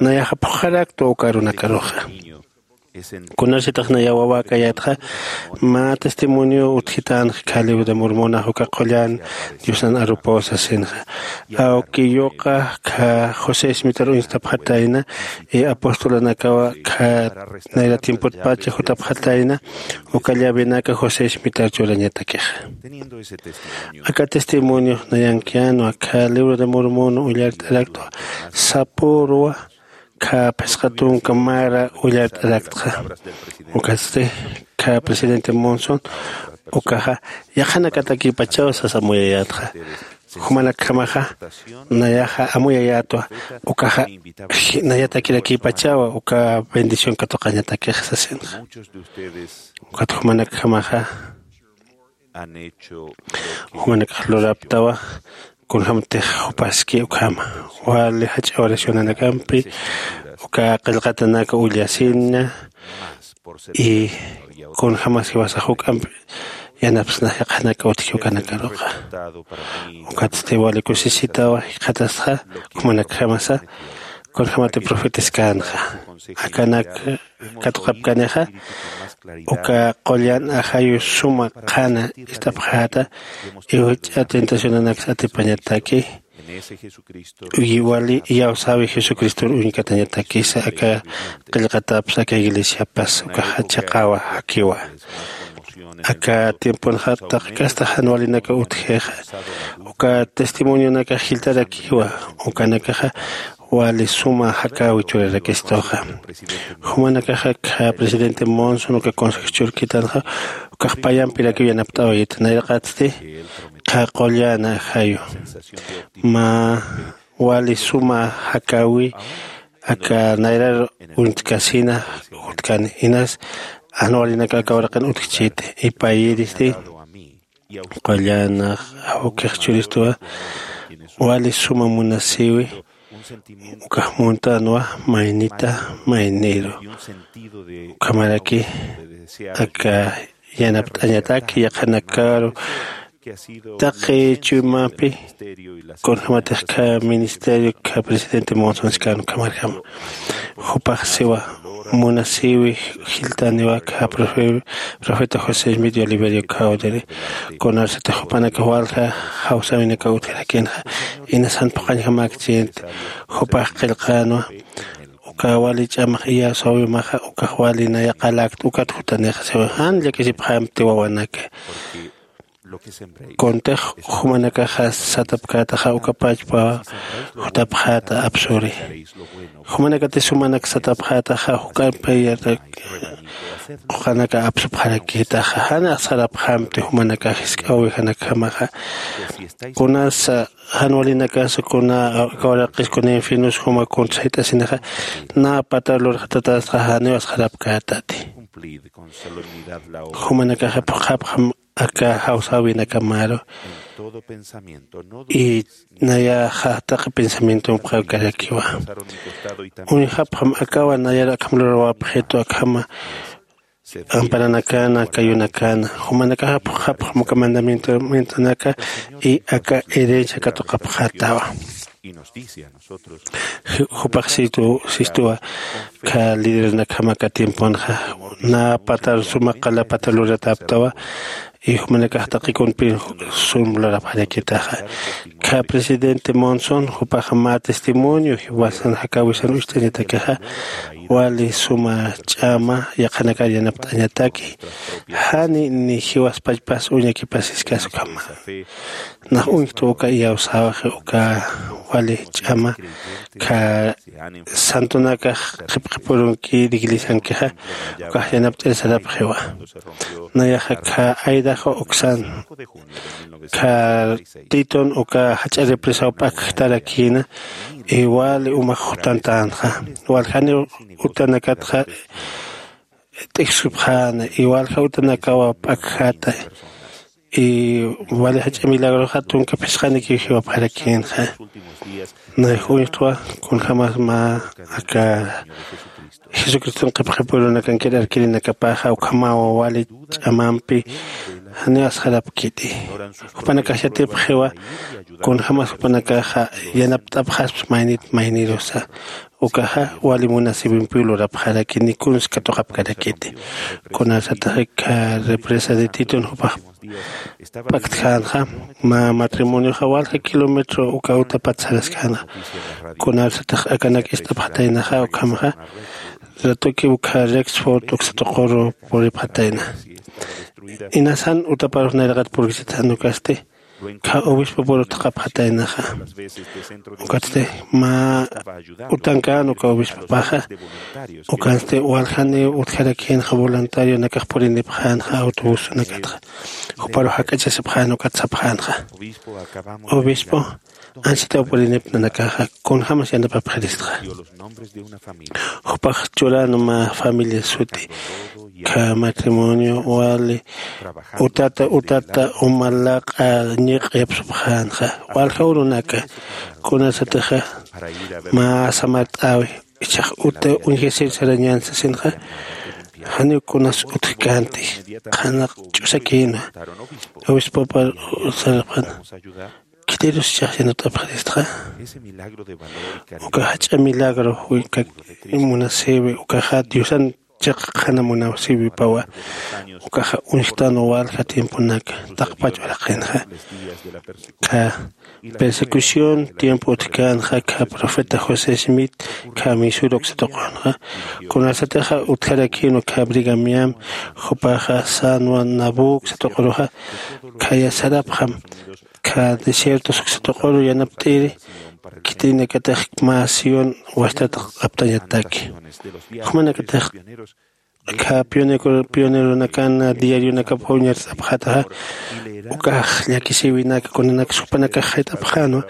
nayaxa phuqxaraktwa uka arunakaruxa. Kunasitax nayax wawäkayätxa, mä testimonio utjitänxa kha libro de Mormonax uka qullan Diosan arupaw sasinxa. Awkiyuqa kha José Smitharu uñstapxatayna, y apostolanakawa kha nayra tiempotpacha jutapxatayna, uka llavenaka José Smitharu churañatakixa. Aka testimoniox nayankänwa kha libro de Mormon ullart'araktwa, sapürwa kha phisqa tunka mara ullart'araktxa. Ukatsti kha presidente Monson ukaxa yaqhanakatakïpachaw sas amuyayätxa. Jumanakjamaxa nayaxa amuyayätwa, ukaxa nayatakirakïpachawa uka bendición katuqañatakix sasinxa. Ukat jumanakjamaxa jumanakax luraptawa, kunjämtix jupaski ukhama. Wali jach'a oracionanakampi uka qillqatanaka ullasina, y kunjämas jiwasax juk'amp yanapsnax yaqhanaka utji ukanakaruxa. Ukatsti wali kusisitawa jikxatastxa, jumanakjamasa kunjämati profetiskäna. Akanak katuqapkanixa, uka qullan ajayu suma qhana ist'apxäta, iwch'a tentacionanaksa atipañataki, uy wali iyawsäwi Jesucristor uñkatañatakisa aka qillqatapas aka iglesiapas ukaxa chiqawa jakiwa. Aka tiemponxa taqi kasta jan walinaka utjixa, uka testimonionakax jiltarakiwa, ukanakaxa wali suma jakäwi churarakistuxa. Jumanakaxa kha presidente Monson uka consejo churkitanxa, ukax payampirakiw yanapt'awayit, nayraqatsti kha qullan ajayu mä wali suma jakäwi aka nayrar uñtkasina jutkani, inas jan walinaka aka uraqin utjchiti, y payïristi qullan awkix churistuwa wali suma munasïwi, ukax muntänwa maynita mayniru. Ukhamaraki aka yanapt'añataki yaqhanakaru taqi chuymapi, kunjämatix kha ministerio kha presidente Monson skan ukhamarjama. Jupax siwa munasïwi jiltaniwa kha profe-, profeta José Smith y Oliverio Cowdery, kunarsatix jupanakax walja jawsäwinakaw utjarakinxa, inas jan phuqhañjamäkchïnti, jupax qillqänwa, uka wali ch'amax iyawsäwimaxa, ukax wali naya qaläkta, ukat jutanixa siwa jan llakisipxämti wawanaka. Kuntix jumanakaxa satapkätaxa ukapachpa jutapxäta apsuri. Jumanakati sumanak satapxätaxa juk'ampi quqanaka apsupxarakïtaxa jan asxarapxamti jumanakax jisk'a ovejanakjamaxa. Kunasa jan walinakasa kuna kawaraqis kuna infiernus juma kunsa jit'asinaxa nä patar lurxatatästaxa janiw asxarapkätati. Jumanakaxa phuqhapxam aka jawsäwinakamaru. Y nayaxa taqi pensamientompxaw karakiwa. Uñjapxam akawa nayaru akham lurawapxitu akhama amparanakana kayunakana jumanakaxa phuqhapxam uka mandamientonaka y aka herencia katuqapxätawa. Jupax sistuwa kha lidernakhama aka tiemponxa nä patar suma qala patar luratäptawa. Y jumanakax taqi kunpin sum lurapxarakitaxa. Kha presidente Monson jupax mä testimonio jiwasan jakäwisan ucht'añatakixa wali suma ch'ama yaqhanakar yanapt'añataki. Jani ni jiwaspachpas uñakipasiskas ukhama. Nax uñjtwa uka iyawsäwixi uka wali ch'ama kha santonakax qhipqhipurunki iglesiankixa ukax yanapt'ir sarapxiwa. Nayaxa kha aydaxwa uksan kha titon uka jach'a represaw p'akjtarakïna. Igual umax jutantänxa waljani utanakatxa t'ijsupxäna igualja utanakawa p'akjata. Y wali jach'a milagroxa tunka phisqanikiw jiwapxarakïnxa. Nay uñjtwa kunjämas mä aka jesucriston qhipqhipurunakankir arkirinakapaxa ukhamawa wali ch'amampi janiw asxarapkiti. Jupanakax yatipxiwa kunjämas jupanakaxa yanapt'apxasps maynit maynirusa. Ukaxa wali munasïwimpiw lurapxaraki ni kuns katuqapkarakiti. Kunasataxa kha represa de titon jupax p'aktjänxa mä matrimonioxa walja kilómetro uka utapat saraskänxa. Kunasatax akanak ist'apxataynaxa ukhamxa ratuki ukha rexford uksa tuquru puripxatayna. Inasan utaparux nayraqat purkisita jan ukasti kha obispopuru thaqhapxataynaxa. Ukatsti mä utankän uka obispopaxa ukansti waljaniw utjarakïnxa voluntarionakax purinipxänxa autobusunakatxa. Juparu jak'achasipxän ukat sapxänxa obispo ansitaw purinipna nakaxa kunjämas yanapapxiristxa. Jupax churan mä familia suti kha matrimonio wali utata utata uma laq'a ñiq'a yapsupxänxa. Walja urunaka kunasatixa mä samart'äwi ichax uta uñjasir sarañän sasinxa. Janiw kunas utjkänti qhanaq ch'usakïna obispopar sarapxäna. Khitirus ichax yanapt'apxiristxa uka jach'a milagro uka munasïwi ukaxa diosan chiqa qhana munasïwipawa. Ukaxa uñjtänwa walja tiemponaka taqpach uraqinxa kha persecución tiempo utjkänxa kha profeta josé smith kha misura uksa tuqunxa. Kunasatixa utjarakïnwa kha brigamiam jupaxa sanwa nabu uksa tuquruxa. Khaya sarapxam kha desiertos uksa tuquru yanapt'iri khitinakatix mä sión wastata aptañataki. Jumanakatix kha pioneronakan diarionakap uñart'apxataxa ukax llakisïwinaka kunanaksa jupanakax jayt'apxänwa.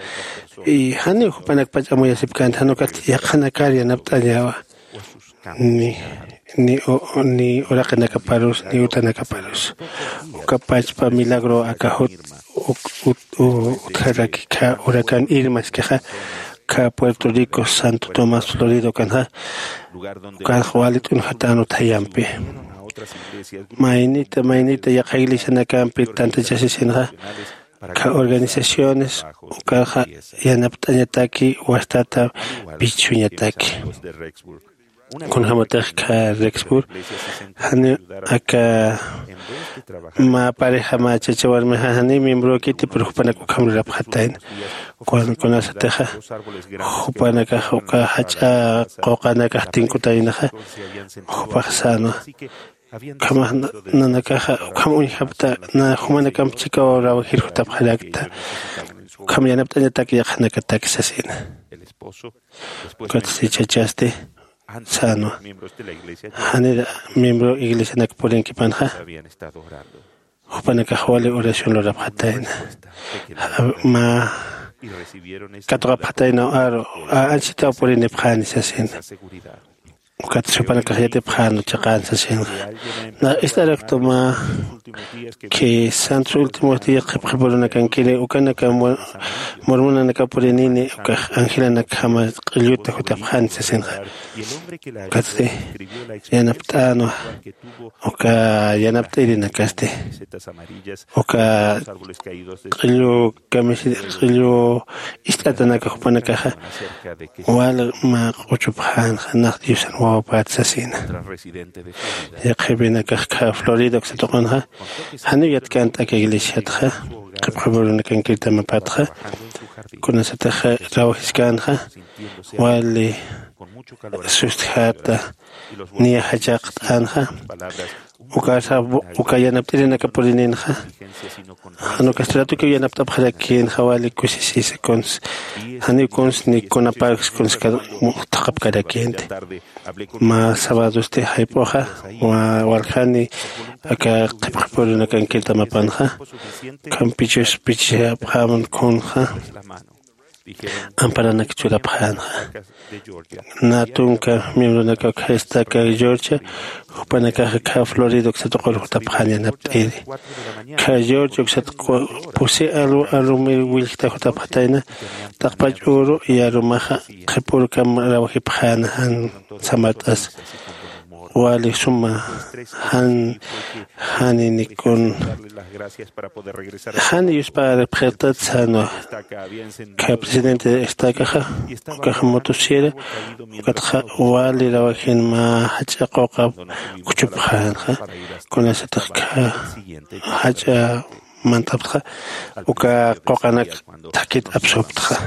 Y janiw jupanakpach amuyasipkänti jan ukat yaqhanakar yanapt'añäwa ni ni ni uraqinakaparus ni utanakaparus. Uka pachpa milagro aka jut utjaraki kha huracán irma iskixa kha puerto rico santo tomás florida ukanxa ukanxa wali t'unjatän uthayampi. Maynita maynita yaqha iglesianakampi tantachasisinxa kha organizaciones ukanxa yanapt'añataki wastata pichhuñataki. Kunjämatix kha rexpur janiw aka mä pareja mä chacha warmixa janiw miembrow kiti pero jupanak ukham lurapxatayna. Kunasatixa jupanakax uka jach'a quqanakax tinkutaynaxa jupax sänwa Ukhamax nanakaxa ukham uñjapta na jumanakamp chikaw rawajir jutapxarakta. Ukham yanapt'añatak yaqhanakatak sasina. Ukatsti chachasti sänwa, janir miembro iglesianak purinkipanxa jupanakax wali oración lurapxatayna. Mä katuqapxataynaw aru anchitaw purinipxäni sasina. Ukat jupanakax yatipxäna chiqän sasinxa. Nax ist'araktuma que santos últimos días qhipqhipurunakankirin ukanaka mormonanaka purinini ukax angelanakjama q'illuta jutapxäni sasinxa. Ukatsti yanapt'änwa uka yanapt'irinakasti uka q'illu kamisir q'illu ist'atanaka jupanakaxa wal mä q'uchupxänxa nax diosan wawapät sasina. Yaqhipinakax kha florida uksatuqunxa janiw yatkänta aka iglesiatxa qhipqhipurunakankitamapatxa kunasataxa trabajiskänxa wali sustjata niya jachaqt'änxa. Ukarsa uka yanapt'irinaka purininxa jan ukas tratukiw yanapt'apxarakïnxa wali kusisisa kuns janiw kuns ni kunapaks kuns thaqhapkarakïnti. Mä sabadosti jayp'uxa waljani aka qhipqhipurinakankirtamapanxa kampichus pichapxäman kunxa amparanak churapxänxa. Natunka miembronaka ukhasta aka georgia jupanakaxa kha florida uksat uqur jutapxän yanapt'iri. Kha georgia uksat pusi aru arumir willjta jutapxatayna t'aqpach uru yarumaxa qhipurkam rawajipxäna jan samart'asa wali suma jan janinikun jan yusparipxirtat sänwa. Kha presidente estakaxa ukaxa motosiera ukatxa wali rawajin mä jach'a quqa kuchupxänxa kunasatix kha jach'a mantaptxa uka quqanak thakit apsuptxa.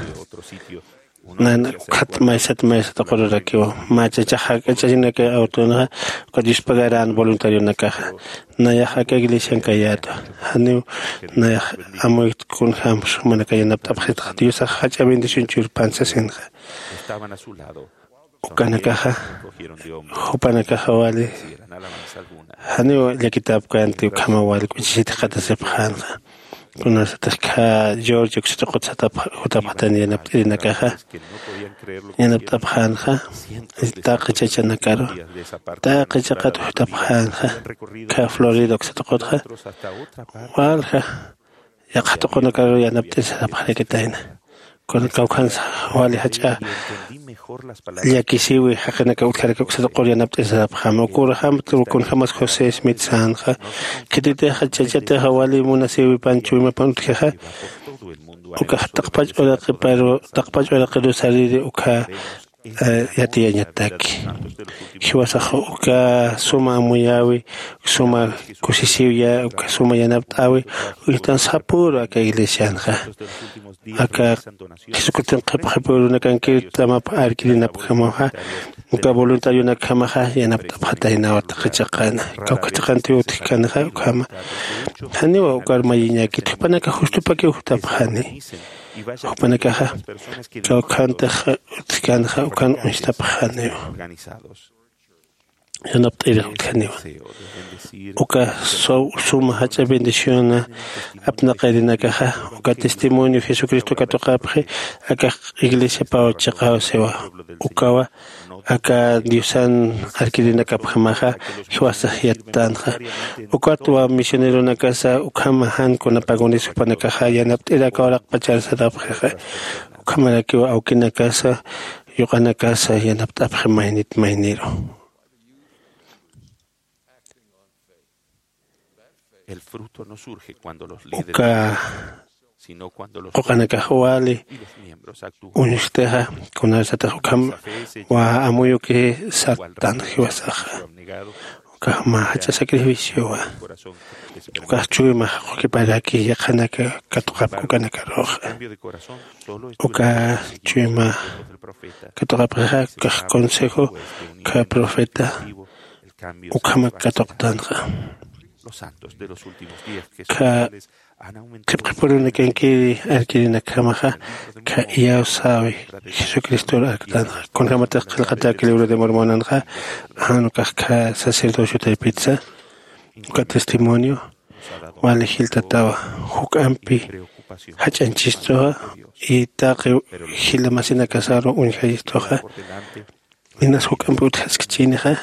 Nana ukhat maysat maysat uqururakiwa mä chachax jak'ach'añanaka awtunxa ukat yuspagarän voluntarionakaxa nayax aka iglesian kayätwa. Janiw nayax amuykt kunjämsa jumanaka yanapt'apxitxa diosax jach'a bendición churpan sasinxa. Ukanakaxa jupanakaxa wali janiw llakitapkänti ukhama wali k'uchisit jikxatasipxänxa. Kunasatix kha georgia uksat uqut satapxatan yanapt'irinakaxa yanapt'apxänxa taqi chachanakaru taqi chiqat jutapxänxa. Kha florida uksat uqutxa walja yaqha tuqunakaru yanapt'ir sarapxarakitayna. Kuna kawkhansa wali jach'a llakisiwi jaqinaka utjaraka uksat uqur yanapt'ir sarapxäma ukurjam kunjämas josé smith sänxa. Khititixa chachatixa wali munasiwi panchuwimapan utjixa ukax taqpach uraqiparu taqpach uraqiru sariri ukha yatiyañataki. Jiwasax uka suma amuyäwi suma kusisiwya uka suma yanapt'äwi uñjtan sapüru aka iglesianxa. Aka jesucriston qhipqhipürunakankir tamap arkirinapkjamaxa uka voluntarionakjamaxa yanapt'apxataynawa taqi chiqana kawkha chiqantiw utjkänxa ukhama. Janiwa ukar mayiñäkit jupanaka justupakiw jutapxani. Jupanakaxa kawkhantix utjkänxa ukan uñstapxaniwa yanapt'irix utjaniwa. Uka suma jach'a bendiciona apnaqarinakaxa uka testimonio jesucristo katuqapxi akax iglesiapaw chiqaw siwa. Ukawa aka diosan arkirinakapjamaxa jiwasax yattänxa. Ukatwa misioneronakasa ukhama jan kunapagunis jupanakaxa yanapt'ir aka uraqpachar sarapxixa. Ukhamarakiw awkinakasa yuqanakasa yanapt'apxi maynit mayniru. Uka quqanakax wali uñustixa kunasatix ukham wa amuyuki sartan jiwasaxa. Ukax mä jach'a sacrificiowa. Ukax chuyma jaqukiparaki yaqhanaka katuqapki ukanakaruxa. Uka chuyma katuqapkixa ukax consejo ka profeta ukhamak katuqtanxa. Los santos de los últimos días, que son tales, han aumentado qhipqipurunakankiri arkirinakjamaxa, kha iyawsäwi Jesucristor arktanxa. Kunjämatix qillqatäki libro de Mormonanxa, jan ukax kha sacerdocio taypitsa, uka testimonio wali jiltatawa, juk'ampi jach'añchistuxa, y taqi jila masinakasaru uñjayistuxa, inas juk'ampi utjaskchinixa,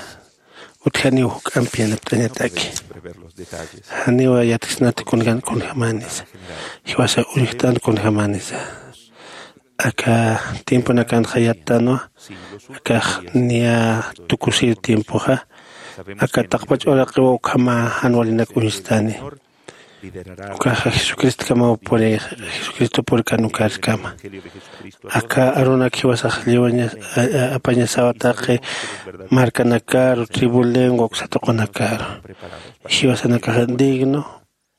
utjaniw juk'ampi yanapt'añataki. Janiwa yatiksnati kunkan kunjamanisa, jiwasa uñjtan kunjamanisa. Aka tiemponakanxa yattanwa, akax niya tukusir tiempoxa, aka taqpach uraqiwa ukhama jan walinak uñstani. Ukaxa Jesucristkamaw purixa, Jesucristo purikan ukarkama. Aka arunak jiwasax lliwaña, a, a, apañasawa taqi markanakaru, tribu lengua, uksa tuqunakaru. Jiwasanakaxa digno,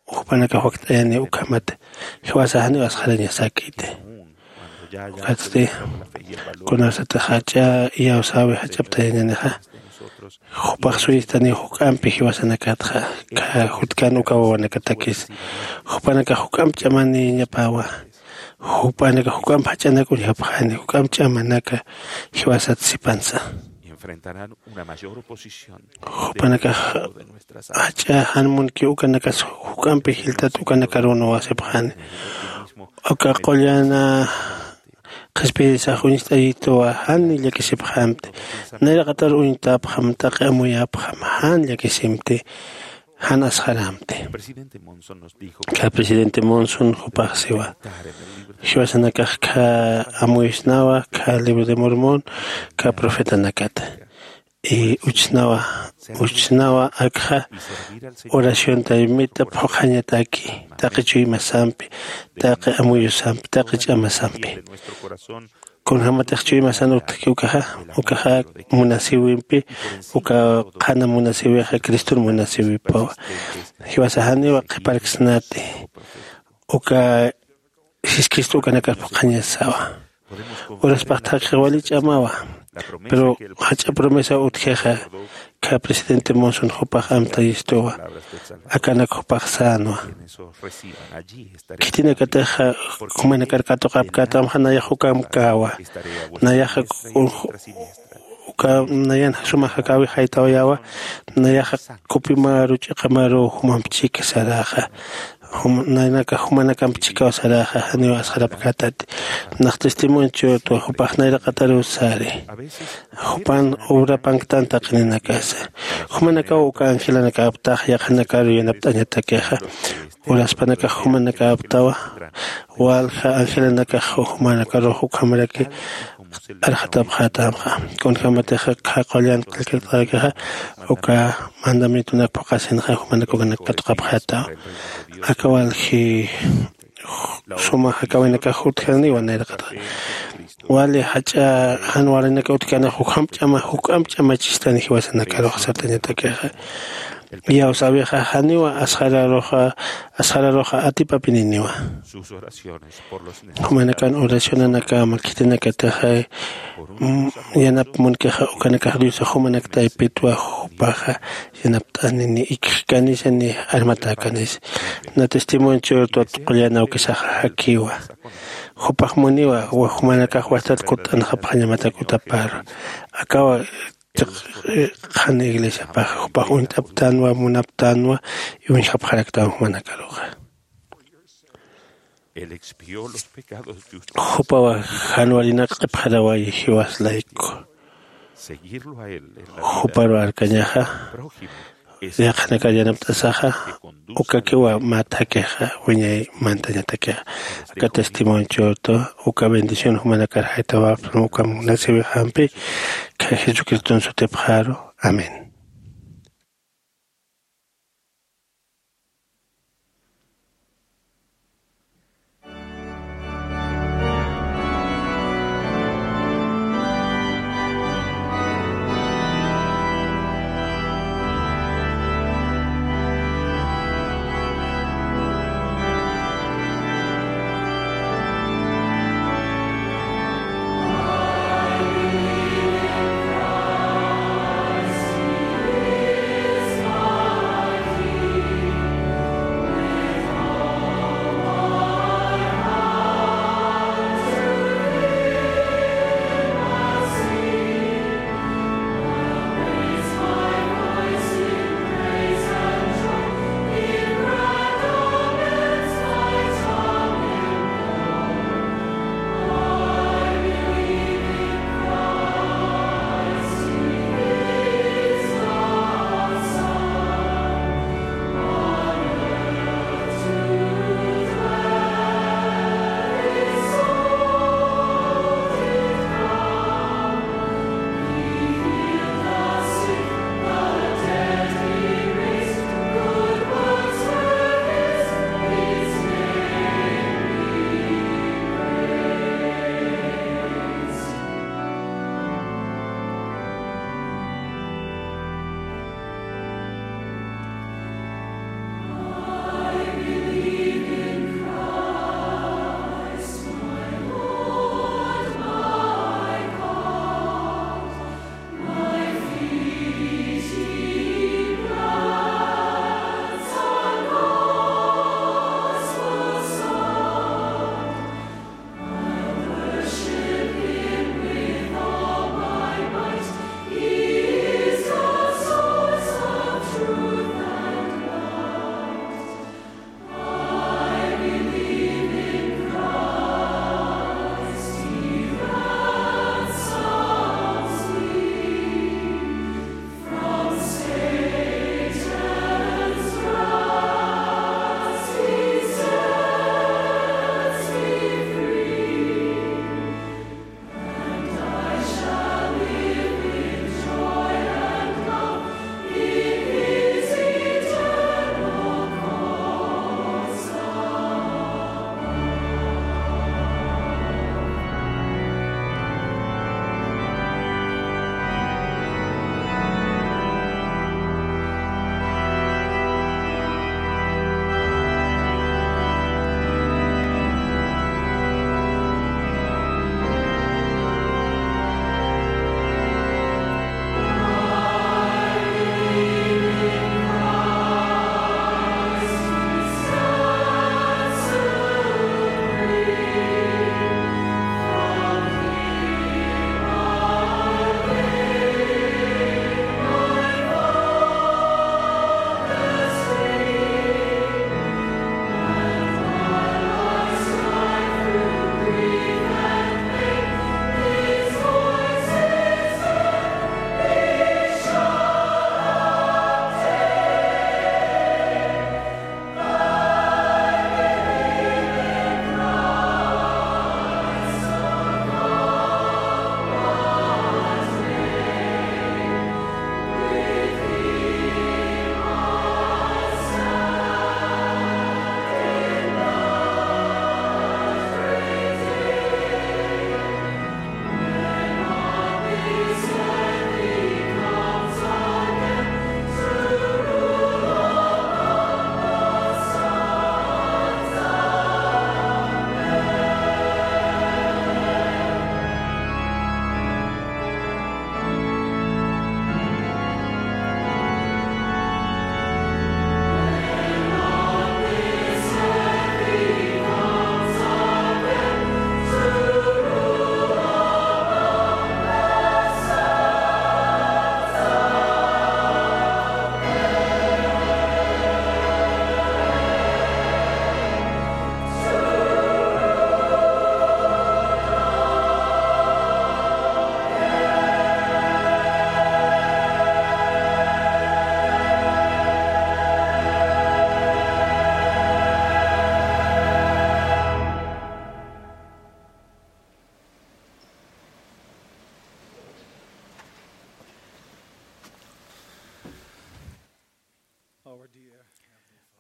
jupanakax wakt'ayani ukhamat, jiwasa janiw asxarañasakiti. Ukatsti kunasatix jach'a iyawsäwi jach'aptayañänixa, jupax suyistaniw juk'ampi jiwasanakatxa, kha jutkan uka wawanakatakis. Jupanakax juk'amp ch'amaniñapawa, jupanakax juk'amp jach'anak uñjapxani, juk'amp ch'amanaka jiwasat sipansa. Jupanakax jach'a jan munki ukanakas juk'ampi jiltat ukanakarunwa sipxani. Uka qullana qhispiyisax uñst'ayituwa, jan llakisipxamti. Nayraqatar uñtapxam, taqi amuyapxam, jan llakisimti, jan asxaramti. Kha presidente Monson jupax siwa, jiwasanakax kha amuyusnawa kha libro de Mormón, kha profetanakata. Y uchsnawa, uchsnawa akxa oración taymita phuqhañataki, taqi chuymasampi, taqi amuyusampi, taqi ch'amasampi. Kunjämatix chuymasan utjki ukaxa, ukaxa munasïwimpi, uka qhana munasïwixa Criston munasïwipawa. Jiwasa janiwa qhiparksnati, uka Jesucristo ukanakar phuqhañasawa. Uraspax thaqhix wali ch'amawa. Pero jach'a promesa utjixa, kha presidente Monson jupax amtayistuwa, akanak jupax sänwa. Khitinakatixa jumanakar katuqapkätamxa, nayax ukamkäwa. Nayaxa uka nayan sumax jakäwi jaytawayäwa. Nayaxa kupimaru ch'iqamaru jumamp chika saraxa. Jum-, naynaka jumanakamp chikaw saraxa, janiw asxarapkätati. Nax testimonio churtwa, jupax nayraqataruw sari. Jupan obrapanktan taqi ninakasa. Jumanakaw uka angelanakaptax yaqhanakaru yanapt'añatakixa. Uraspanakax jumanakäptawa, walja angelanakax jumanakarux ukhamaraki arxatapxätamxa. Kunjämatixa kha qullan qillqatakixa, uka mandamientonak phuqhasinxa, jumanak ukanak katuqapxätawa. Aka walji suma jakäwinakax utjaniwa nayraqataxa. Wali jach'a jan walinaka utjkänix, juk'amp ch'ama, juk'amp ch'amachistani jiwasanakarux sartañatakixa. Iyawsäwixa janiwa asxararuxa, asxararuxa atipapininiwa. Jumanakan oracionanakama khitinakatixa, mm, yanap munkixa ukanakax Diosax jumanak taypitwa, jupaxa yanapt'anini, ikxkanisani, armatäkanisa. Na testimonio churtwa qullana awkisaxa jakiwa. Jupax muniwa, wa jumanakax wastat kutt'anxapxañamatak utaparu. Akawa chiq-, qhan iglesiapax, jupax uñt'aptanwa, munaptanwa, y uñjapxaraktanwa jumanakaruxa. Jupawa jan walinak q'ipxarawayi jiwas layku. Juparu arkañaxa, yaqhanakar yanapt'asaxa, ukakiwa mä thakixa, wiñay mantañatakixa. Aka testimonio churtwa, uka bendición jumanakar jaytawapxam, uka munasïwixampi, kha Jesucriston sutipxaru. Amén.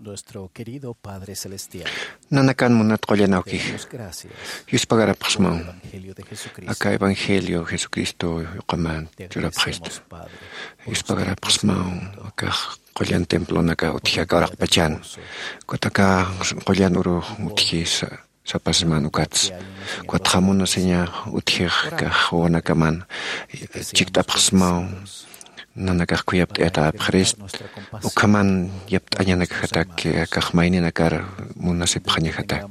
Nuestro querido Padre Celestial, nanakan munat qullanawkix, demos gracias yuspagarapxsmaw por el Evangelio de Jesucristo. Aka evangelio Jesucristo yuqaman churapxista. Te agradecemos, Padre, por yuspagarapxsmaw esta aka qullan templonaka utji aka uraqpachan. Ukat aka qullan uru utji sa- sapasman ukats. Ukatxa munasiña utjix kax wawanakaman chikt'apxsmaw, nanakax khuyapt'ayatäpxirist, ukhaman yapt'añanakjatak, kax mayninakar munasipxañajatak.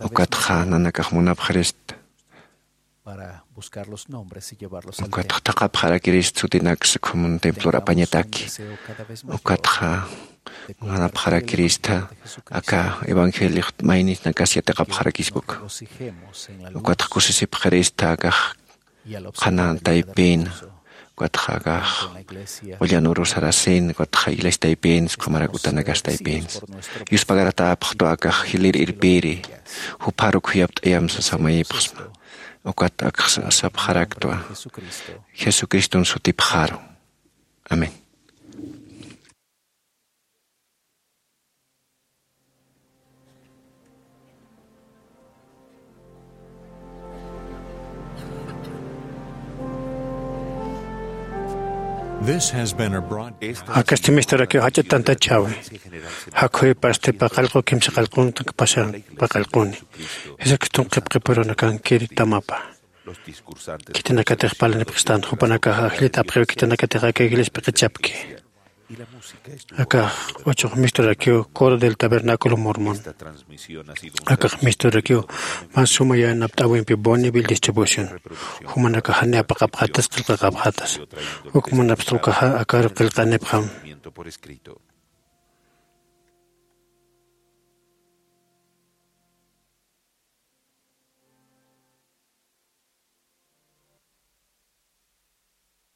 Ukatxa nanakax munapxirist. Para buscar los nombres y llevarlos al templo. Ukatxa thaqhapxarakirist sutinaks ukhaman templor apañataki. Ukatxa munapxarakirista aka evangeliox maynisnakas yatiqapxarakispa uka. Ukatxa kusisipxirista akax qhana taypin, ukatxa akax qullan uru sarasin, ukatxa iglesia taypin, ukhamarak utanakas taypin. Yuspagarapxtwa akax jilïr irpiri, jupharuk khuyapt'ayamsa samayipxsma. Ukat aksa sapxaraktwa Jesucriston sutipxaru. Amén. This has been a broadcast. Akasti misturakï jach'a tantachäwi. Jakhüypasti paqallqu kimsa qallqunta pasan paqallquni. Jesucriston qhipqipurunakankiri tamapa. Khitinakatix parlanipxistan jupanakax ajllit apxiw khitinakatix aka iglesiapi q'ichapki. Akax q'uchux misturakiw Coro del Tabernáculo Mormón. Akax misturakiw mä suma yanapt'äwimpi Bonneville Distribución. Jumanakax jani apaqapxätas qillqaqapxätas. Uk munapxta ukaxa akaru qillqanipxam.